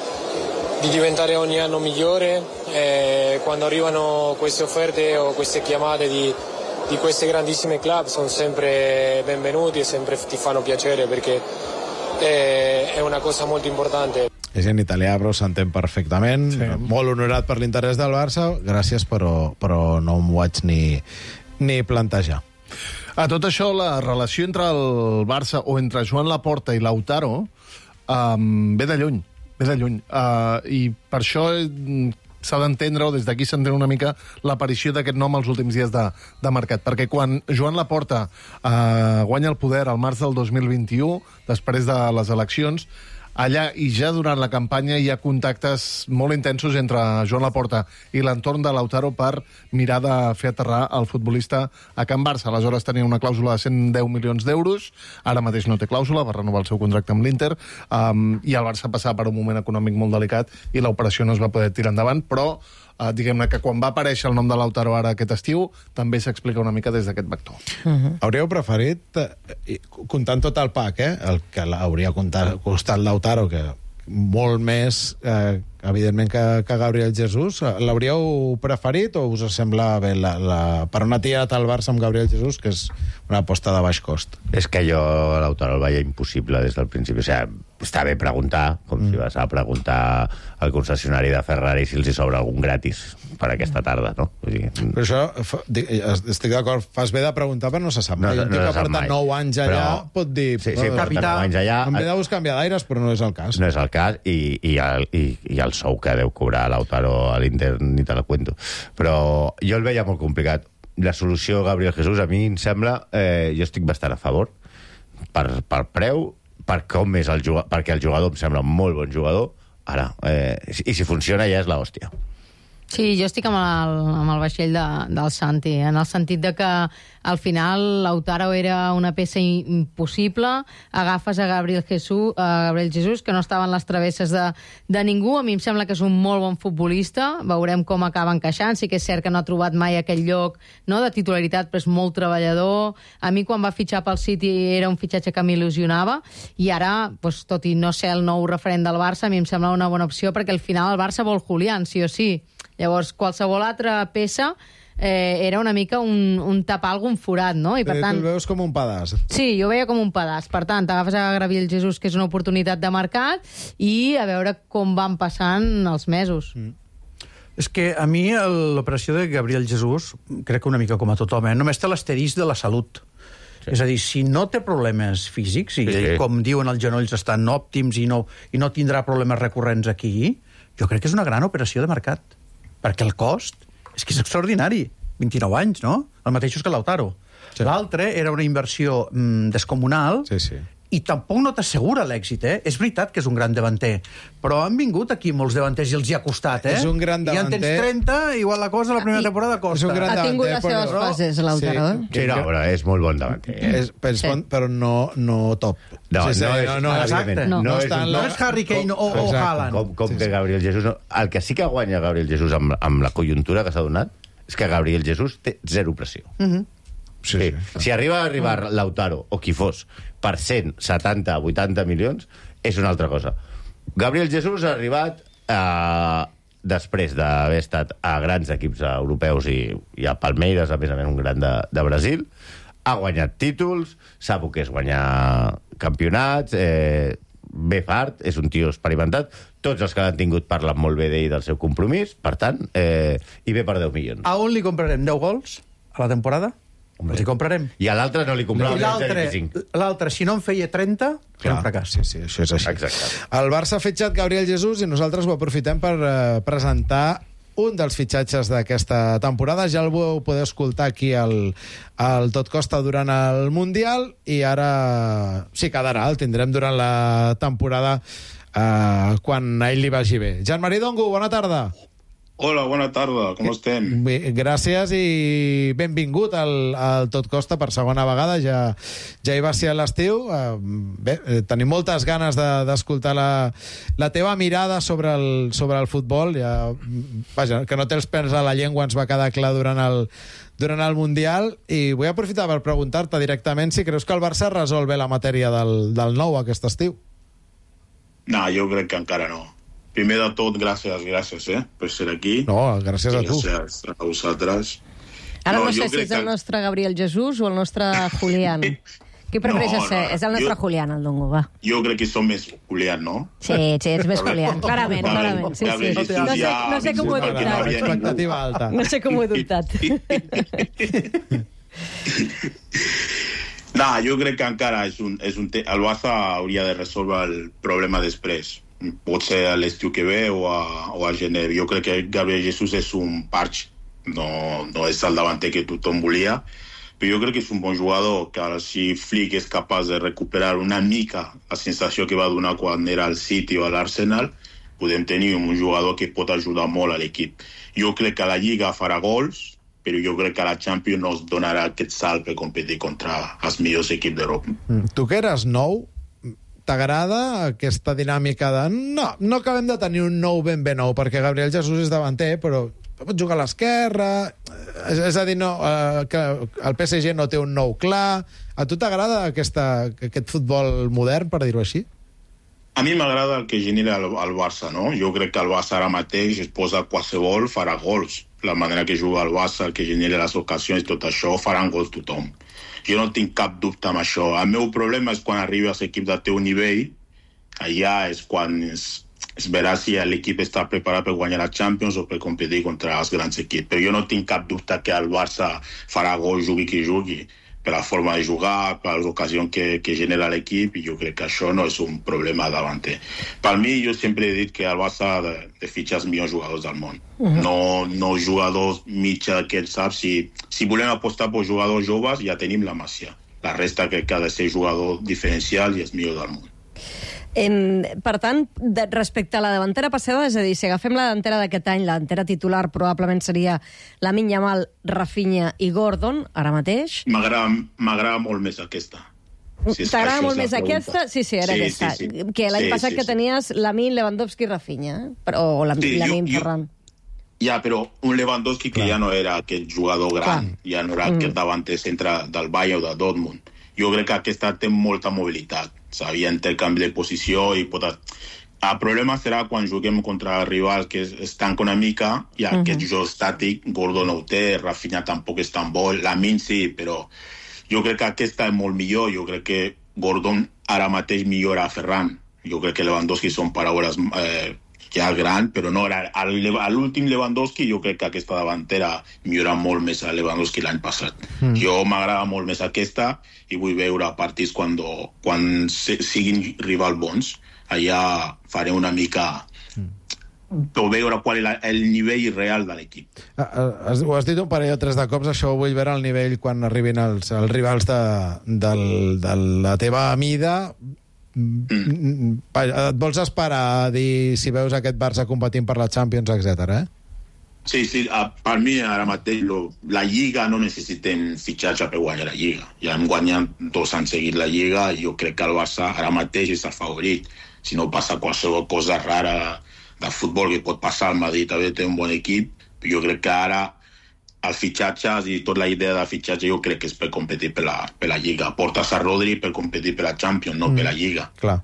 di diventare ogni anno migliore. E quando arrivano queste offerte o queste chiamate di, di queste grandissime club sono sempre benvenuti e sempre ti fanno piacere perché è, è una cosa molto importante.
És en italià, però s'entén perfectament. Sí. Molt honorat per l'interès del Barça. Gràcies, però, però no m'ho vaig ni, ni plantejar.
A tot això, la relació entre el Barça o entre Joan Laporta i Lautaro um, ve de lluny, ve de lluny. Uh, I per això mm, s'ha d'entendre, o des d'aquí s'entén una mica, l'aparició d'aquest nom els últims dies de, de mercat. Perquè quan Joan Laporta uh, guanya el poder al març del dos mil vint-i-u, després de les eleccions, allà i ja durant la campanya hi ha contactes molt intensos entre Joan Laporta i l'entorn de Lautaro per mirar de fer aterrar el futbolista a Can Barça. Aleshores tenia una clàusula de cent deu milions d'euros, ara mateix no té clàusula, va renovar el seu contracte amb l'Inter, um, i el Barça passava per un moment econòmic molt delicat i l'operació no es va poder tirar endavant, però uh, diguem-ne que quan va aparèixer el nom de Lautaro ara aquest estiu, també s'explica una mica des d'aquest vector.
Uh-huh. Hauríeu preferit, eh, comptant tot el pack, eh, el que hauria costat Lautaro, que molt més, eh, evidentment, que, que Gabriel Jesus, l'hauríeu preferit o us sembla bé la, la, per on ha tirat el Barça amb Gabriel Jesus, que és una aposta de baix cost?
És que jo Lautaro el veia impossible des del principi. O sigui, està bé preguntar, com mm. si vas a preguntar al concessionari de Ferrari si els hi sobra algun gratis per aquesta tarda, no? Vull dir...
Però això, fa, dic, estic d'acord, fas bé de preguntar, però no se sap. No, no, un tio no que porta nou anys allà però... pot dir...
Sí, sí, porta nou anys allà...
Em ve de buscar canviar d'aires, però no és el cas.
No és el cas, i, i, el, i, i el sou que deu cobrar Lautaro a l'Inter ni te la cuento. Però jo el veia molt complicat. La solució Gabriel Jesus, a mi em sembla... Eh, jo estic bastant a favor per, per preu, per com és el jugador, perquè el jugador em sembla un molt bon jugador. Ara, eh, i si funciona ja és l'hòstia.
Sí, jo estic amb el, amb el vaixell de, del Santi, en el sentit de que al final Lautaro era una peça impossible, agafes a Gabriel Jesus, a Gabriel Jesus que no estava en les travesses de, de ningú. A mi em sembla que és un molt bon futbolista, veurem com acaba encaixant. Sí que és cert que no ha trobat mai aquell lloc, no, de titularitat, però és molt treballador. A mi quan va fitxar pel City era un fitxatge que m'il·lusionava, i ara, doncs, tot i no ser el nou referent del Barça, a mi em sembla una bona opció, perquè al final el Barça vol Julián, sí o sí. Llavors, qualsevol altra peça eh, era una mica un, un tapar algun forat, no? I per
Però
tant...
tu el veus com un pedaç.
Sí, jo ho veia com un pedaç. Per tant, t'agafes a Gabriel Jesús, que és una oportunitat de mercat, i a veure com van passant els mesos.
Mm. És que a mi l'operació de Gabriel Jesús, crec que una mica com a tothom, eh, només té l'asterisc de la salut. Sí. És a dir, si no té problemes físics, i sí, sí. com diuen els genolls estan òptims i no, i no tindrà problemes recurrents aquí, jo crec que és una gran operació de mercat. Perquè el cost és que és extraordinari. vint-i-nou anys, no? El mateix que Lautaro. Sí. L'altre era una inversió mm, descomunal,
sí, sí.
i tampoc no t'assegura l'èxit, eh? És veritat que és un gran davanter, però han vingut aquí molts davanters i els hi ha costat, eh?
És un gran davanter.
I en tens trenta, igual la cosa la primera temporada costa.
És un gran
ha
davanter,
tingut les
però...
seves fases, Lautaro.
Sí, sí no, però és molt bon davanter. Eh?
És, però, és bon, però no, no top.
No,
sí, sí,
no, és,
no, no,
exacte.
no,
no,
no,
és,
no,
no és Harry Kane o, o Haaland.
Com, com
sí,
que
sí.
Gabriel Jesús... No, el que sí que guanya Gabriel Jesús amb, amb la conjuntura que s'ha donat és que Gabriel Jesús té zero pressió.
Mhm.
Sí, sí, sí.
Si arriba a arribar Lautaro, o qui fos, per cent, setanta, vuitanta milions, és una altra cosa. Gabriel Jesús ha arribat eh, després d'haver estat a grans equips europeus i, i a Palmeiras, a més a més un gran de, de Brasil, ha guanyat títols, sap el que és guanyar campionats, eh, ve fart, és un tio experimentat, tots els que l'han tingut parlen molt bé d'ell del seu compromís, per tant, eh, i ve per deu milions.
A on li comprarem deu gols a la temporada? Els hi comprarem.
I a l'altre no li comprarem.
I l'altre, si no en feia trenta, era un fracàs.
Sí, sí, això és així.
Exacte.
El Barça ha fitxat Gabriel Jesús i nosaltres ho aprofitem per eh, presentar un dels fitxatges d'aquesta temporada. Ja el vau poder escoltar aquí al, al Tot Costa durant el Mundial i ara sí quedarà, el tindrem durant la temporada eh, quan a ell li vagi bé. Jean-Marie Dongo, bona tarda.
Hola, bona tarda, com estem?
Bé, gràcies i benvingut al, al Tot Costa per segona vegada, ja, ja hi va ser a l'estiu. Bé, tenim moltes ganes d'escoltar de, la, la teva mirada sobre el, sobre el futbol. Ja, vaja, que no té els pèls a la llengua ens va quedar clar durant el, durant el Mundial, i vull aprofitar per preguntar-te directament si creus que el Barça resol bé la matèria del, del nou aquest estiu.
No, jo crec que encara no. Primer de tot, gràcies, gràcies, eh, per ser aquí.
No, gràcies a tu.
Gràcies a vosaltres.
Ara no, no sé si és el que... nostre Gabriel Jesús o el nostre Julián. Qui prefereix no, ser? No, és el nostre jo... Julián, el Dongo, va.
Jo crec que som més Julián, no?
Sí, sí, és més Julián, clarament, clarament. Sí, sí. No, sé, no sé com ho he dubtat.
Expectativa alta.
No sé com ho he dubtat.
No, jo crec que encara és un, és un te... el Barça hauria de resoldre el problema després. Pot ser a l'estiu que ve o a, o a gener. Jo crec que Gabriel Jesús és un parch, no, no és el davanter que tothom volia, però jo crec que és un bon jugador, que ara si Flick és capaç de recuperar una mica la sensació que va donar quan era al City o a l'Arsenal, podem tenir un jugador que pot ajudar molt a l'equip. Jo crec que a la Lliga farà gols, però jo crec que a la Champions no es donarà aquest salt per competir contra els millors equips d'Europa.
Mm. Tu que eres nou, t'agrada aquesta dinàmica de no, no acabem de tenir un nou ben ben nou, perquè Gabriel Jesús és davanter, però pot jugar a l'esquerra, és, és a dir, no, eh, que el P S G no té un nou clar. A tu t'agrada aquesta, aquest futbol modern, per dir-ho així?
A mi m'agrada el que genera el, el Barça, no? Jo crec que el Barça ara mateix es posa qualsevol, farà gols. La manera que juga el Barça, el que genera les ocasions, tot això, faran gols tothom. Jo no tinc cap dubte amb això. El meu problema és quan arriba a l'equip del teu nivell, allà és quan es, es verà si l'equip està preparat per guanyar la Champions o per competir contra els grans equips. Però jo no tinc cap dubte que el Barça farà gol, jugui qui jugui, per la forma de jugar, per les ocasions que, que genera l'equip, i jo crec que això no és un problema davanter. Per mi, jo sempre he dit que el Barça ha de, de fitxar els millors jugadors del món. Uh-huh. No, no jugadors mitja que saps. Si, si volem apostar per jugadors joves, ja tenim la Masia. La resta crec que ha de ser jugador diferencial i és millor del món.
En, per tant, de, respecte a la davantera passada, és a dir, si agafem la davantera d'aquest any, la davantera titular probablement seria Lamine Yamal, Rafinha i Gordon, ara mateix.
M'agrada molt més aquesta.
Si T'agrada molt més aquesta? Sí, sí, era sí, aquesta. Sí, sí. Que l'any sí, passat sí, que sí. tenies Lamine, Lewandowski i Rafinha, eh? o la, sí, Lamine, jo, Ferran.
Ja, però un Lewandowski que Clar. ja no era aquest jugador gran, Clar. ja no era mm. aquest davanter centre del Bayern o de Dortmund. Jo crec que aquesta té molta mobilitat. Sabia intercanvi de posició i pot... El problema serà quan juguem contra el rival que es tanca una mica i uh-huh. aquest joc estàtic, Gordon no ho té, Rafinha tampoc és tan bo, Lamine sí, però jo crec que aquesta és molt millor, jo crec que Gordon ara mateix millora a Ferran, jo crec que Lewandowski són paraules eh, ja gran, però no, a l'últim Lewandowski jo crec que aquesta davantera millora molt més a Lewandowski l'any passat. Mm. Jo m'agrada molt més aquesta i vull veure partits quan, quan siguin rivals bons. Allà faré una mica per veure qual és el nivell real de l'equip.
Ho has dit un parell o tres de cops, això ho vull veure al nivell quan arribin els, els rivals de, de, de la teva mida. Mm. Et vols esperar a dir si veus aquest Barça competint per la Champions, etcètera, eh?
Sí, sí, per mi ara mateix lo, la Lliga no necessitem fitxatge per guanyar la Lliga. Ja hem guanyat dos anys seguit la Lliga i jo crec que el Barça ara mateix és el favorit. Si no passa qualsevol cosa rara de futbol que pot passar, el Madrid també té un bon equip, però jo crec que ara els fitxatges i tota la idea del fitxatge jo crec que és per competir per la, per la Lliga. Portes a Rodri per competir per la Champions, no mm. per la Lliga.
Clar.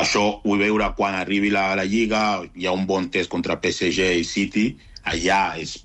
Això vull veure quan arribi la, la Lliga, hi ha un bon test contra P S G i City, allà és,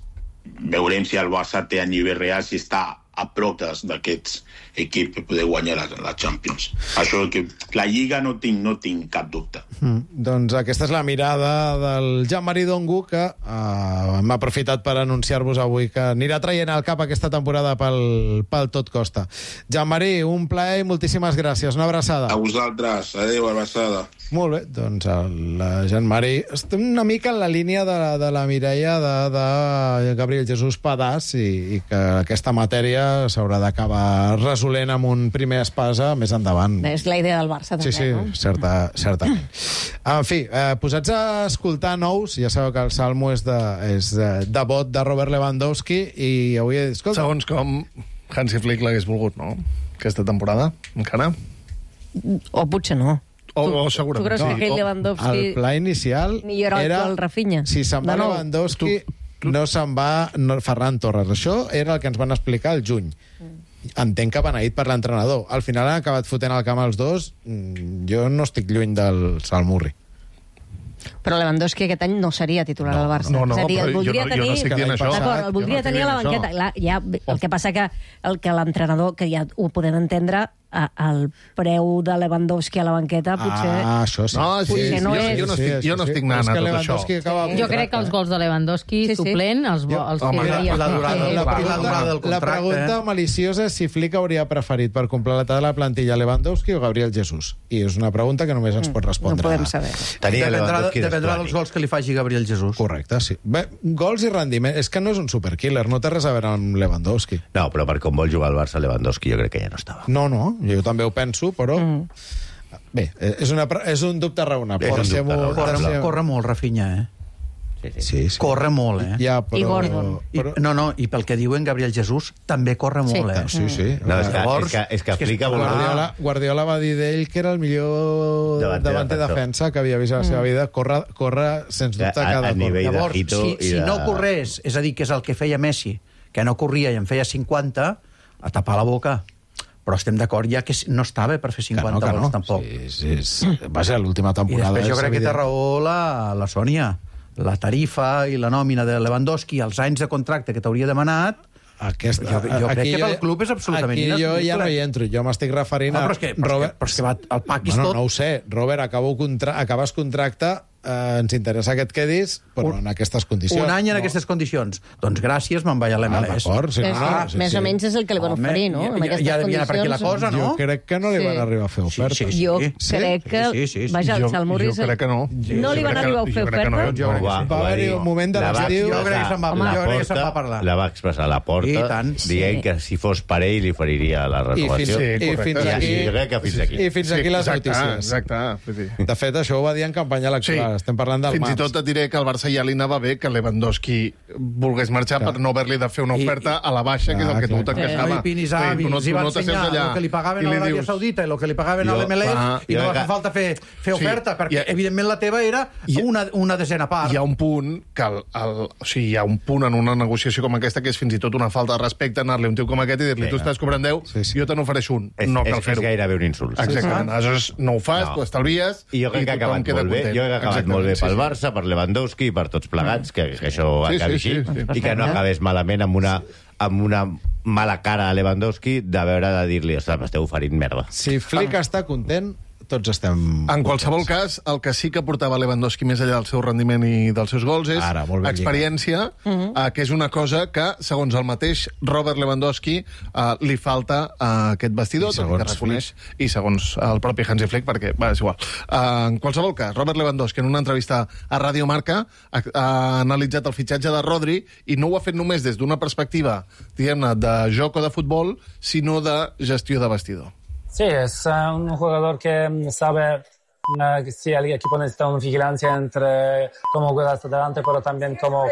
veurem si el Barça té a nivell real, si està a prop d'aquests equips per poder guanyar la, la Champions. Això que la Lliga no tinc, no tinc cap dubte.
Mm, doncs aquesta és la mirada del Jean-Marie Dongu, que uh, hem aprofitat per anunciar-vos avui que anirà traient al cap aquesta temporada pel, pel tot costa. Jean-Marie, un plaer i moltíssimes gràcies. Una abraçada.
A vosaltres. Adéu, abraçada.
Molt bé, doncs el Jean-Marie estem una mica en la línia de, de la Mireia de, de Gabriel Jesús Padàs i, i que aquesta matèria s'haurà d'acabar resolent amb un primer espasa més endavant.
És la idea del Barça, també,
sí, sí,
no?
Certa, certament. En fi, eh, posats a escoltar nous, ja sabeu que el Salmo és de, és de, de vot de Robert Lewandowski i avui... Escolta,
segons com Hansi Flick l'hagués volgut, no? Aquesta temporada, encara?
O potser no.
O, o segurament.
Tu creus que aquell Lewandowski...
El pla inicial
millora
era...
el Rafinha?
Si se'n va Lewandowski, tu, tu... no se'n va no, Ferran Torres. Això era el que ens van explicar al juny. Mm. Entenc que beneït per l'entrenador. Al final han acabat fotent al camp els dos. Jo no estic lluny del Salmurri.
Però Lewandowski aquest any no seria titular
no,
al Barça.
No, no,
és a dir, el
jo
voldria
no,
tenir...
jo no estic dient això.
D'acord, el voldria no tenir a la banqueta. La, ja, el que passa que el que l'entrenador, que ja ho podem entendre, el preu de Lewandowski a la banqueta potser...
Ah, això sí.
No, sí,
potser
sí,
no
jo,
és...
jo no estic, jo no estic anant a tot això.
Acaba... Jo crec que els gols de Lewandowski sí, sí. suplent, els, jo, els
home,
que...
La,
la, durada,
la,
la,
la,
durada del contracte, la pregunta maliciosa és si Flick hauria preferit per completar la plantilla Lewandowski o Gabriel Jesús. I és una pregunta que només ens pot respondre.
No podem saber.
Dependrà, dependrà dels gols que li faci Gabriel Jesús.
Correcte, sí. Bé, gols i rendiment. És que no és un superkiller, no té res a veure amb Lewandowski.
No, però per com vol jugar al Barça, Lewandowski jo crec que ja no estava.
No, no, jo també ho penso, però... Mm. Bé, és, una, és un dubte raonable.
És un dubte raonable. Corre, corre molt, Rafinha, eh?
Sí, sí.
Sí, sí.
Corre molt, eh?
Ja, però...
I Gordon.
Però... I, no, no, i pel que diuen Gabriel Jesús, també corre
sí.
molt, eh?
Sí, sí.
No, és, que,
Llavors,
és que, és que aplica...
Guardiola, Guardiola va dir d'ell que era el millor davanter, davanter defensa que havia vist a la seva vida. Corre, corre sens dubte,
a,
cada
a nivell
cor.
Llavors,
de hito
si,
i
si
de...
no corrés, és a dir, que és el que feia Messi, que no corria i en feia cinquanta, a tapar la boca. Però estem d'acord ja que no estava per fer cinquanta
que no, que
gols,
no.
tampoc.
Sí, sí, sí. Va ser l'última temporada.
I després jo crec
evident.
que té raó la, la Sònia. La tarifa i la nòmina de Lewandowski, els anys de contracte que t'hauria demanat,
Aquest,
jo, jo crec que pel club és absolutament
aquí jo ja no hi entro, jo m'estic referint
ah,
a...
però és que, però
Robert...
és que, però és que va, el pack és
bueno,
tot...
No ho sé, Robert, acabo contra... acabes contracte, eh, ens interessa que et quedis, però
un,
en aquestes condicions.
Un any en
no?
aquestes condicions. Doncs gràcies, me'n vaig a l'M L S.
Ah, sí, no,
ah,
sí,
més
sí.
o menys és el que li van oferir, no?
Ja, ja, ja devia anar per aquí la cosa, no?
Jo crec que no li van arribar a fer oferta.
Sí, sí, sí. Jo
sí?
crec que...
Sí, sí, sí.
Vaja, el Salmurri...
Jo crec que no.
No li van arribar a fer oferta?
Jo crec que va haver-hi un moment de l'estiu...
Jo crec que se'n va, jo crec que se'n va parlar.
La va expressar a la porta, dient que si fos per ell li oferiria la renovació.
I fins aquí...
I fins aquí.
I fins aquí les notícies.
Exacte.
De fet, això ho va dir en campanya electoral. estem parlant del
Fins i tot et diré que al Barça ja li anava bé que Lewandowski volgués marxar per no haver-li de fer una oferta a la baixa, que és el que tu t'encaixava.
No, i Pinis Avi, els hi va ensenyar el que li pagaven a l'Aràbia Saudita i el que li pagaven a l'M L S i no va fer falta fer oferta, perquè evidentment la teva era una desena part.
Hi ha un punt que o sigui, hi ha un punt en una negociació com aquesta que és fins i tot una falta de respecte anar-li a un tio com aquest i dir-li tu estàs cobrant deu, jo te n'ofereixo un. No cal fer-ho.
És gairebé un insult.
Exactament. Aleshores no ho fas, t'ho estalvies
i jo crec que ha acabat molt bé. Jo crec que ha acabat molt bé pel Barça, per Lewandowski i per tots plegats, que això acabi així, i que no acabés malament amb una amb una mala cara a Lewandowski de veure de dir-li, ostres, m'esteu oferint merda.
Si Flick està content, tots estem...
En qualsevol cas, el que sí que portava Lewandowski més enllà del seu rendiment i dels seus gols és
Ara,
experiència, uh -huh. uh, que és una cosa que, segons el mateix Robert Lewandowski, uh, li falta a aquest vestidor, que reconeix, i segons el propi Hansi Flick, perquè, va, és igual. Uh, en qualsevol cas, Robert Lewandowski, en una entrevista a Radio Marca, ha, ha analitzat el fitxatge de Rodri i no ho ha fet només des d'una perspectiva, diguem-ne, de joc o de futbol, sinó de gestió de vestidor.
Sí, es uh, un jugador que sabe uh, que sí, el equipo necesita una vigilancia entre cómo juega hasta adelante, pero también cómo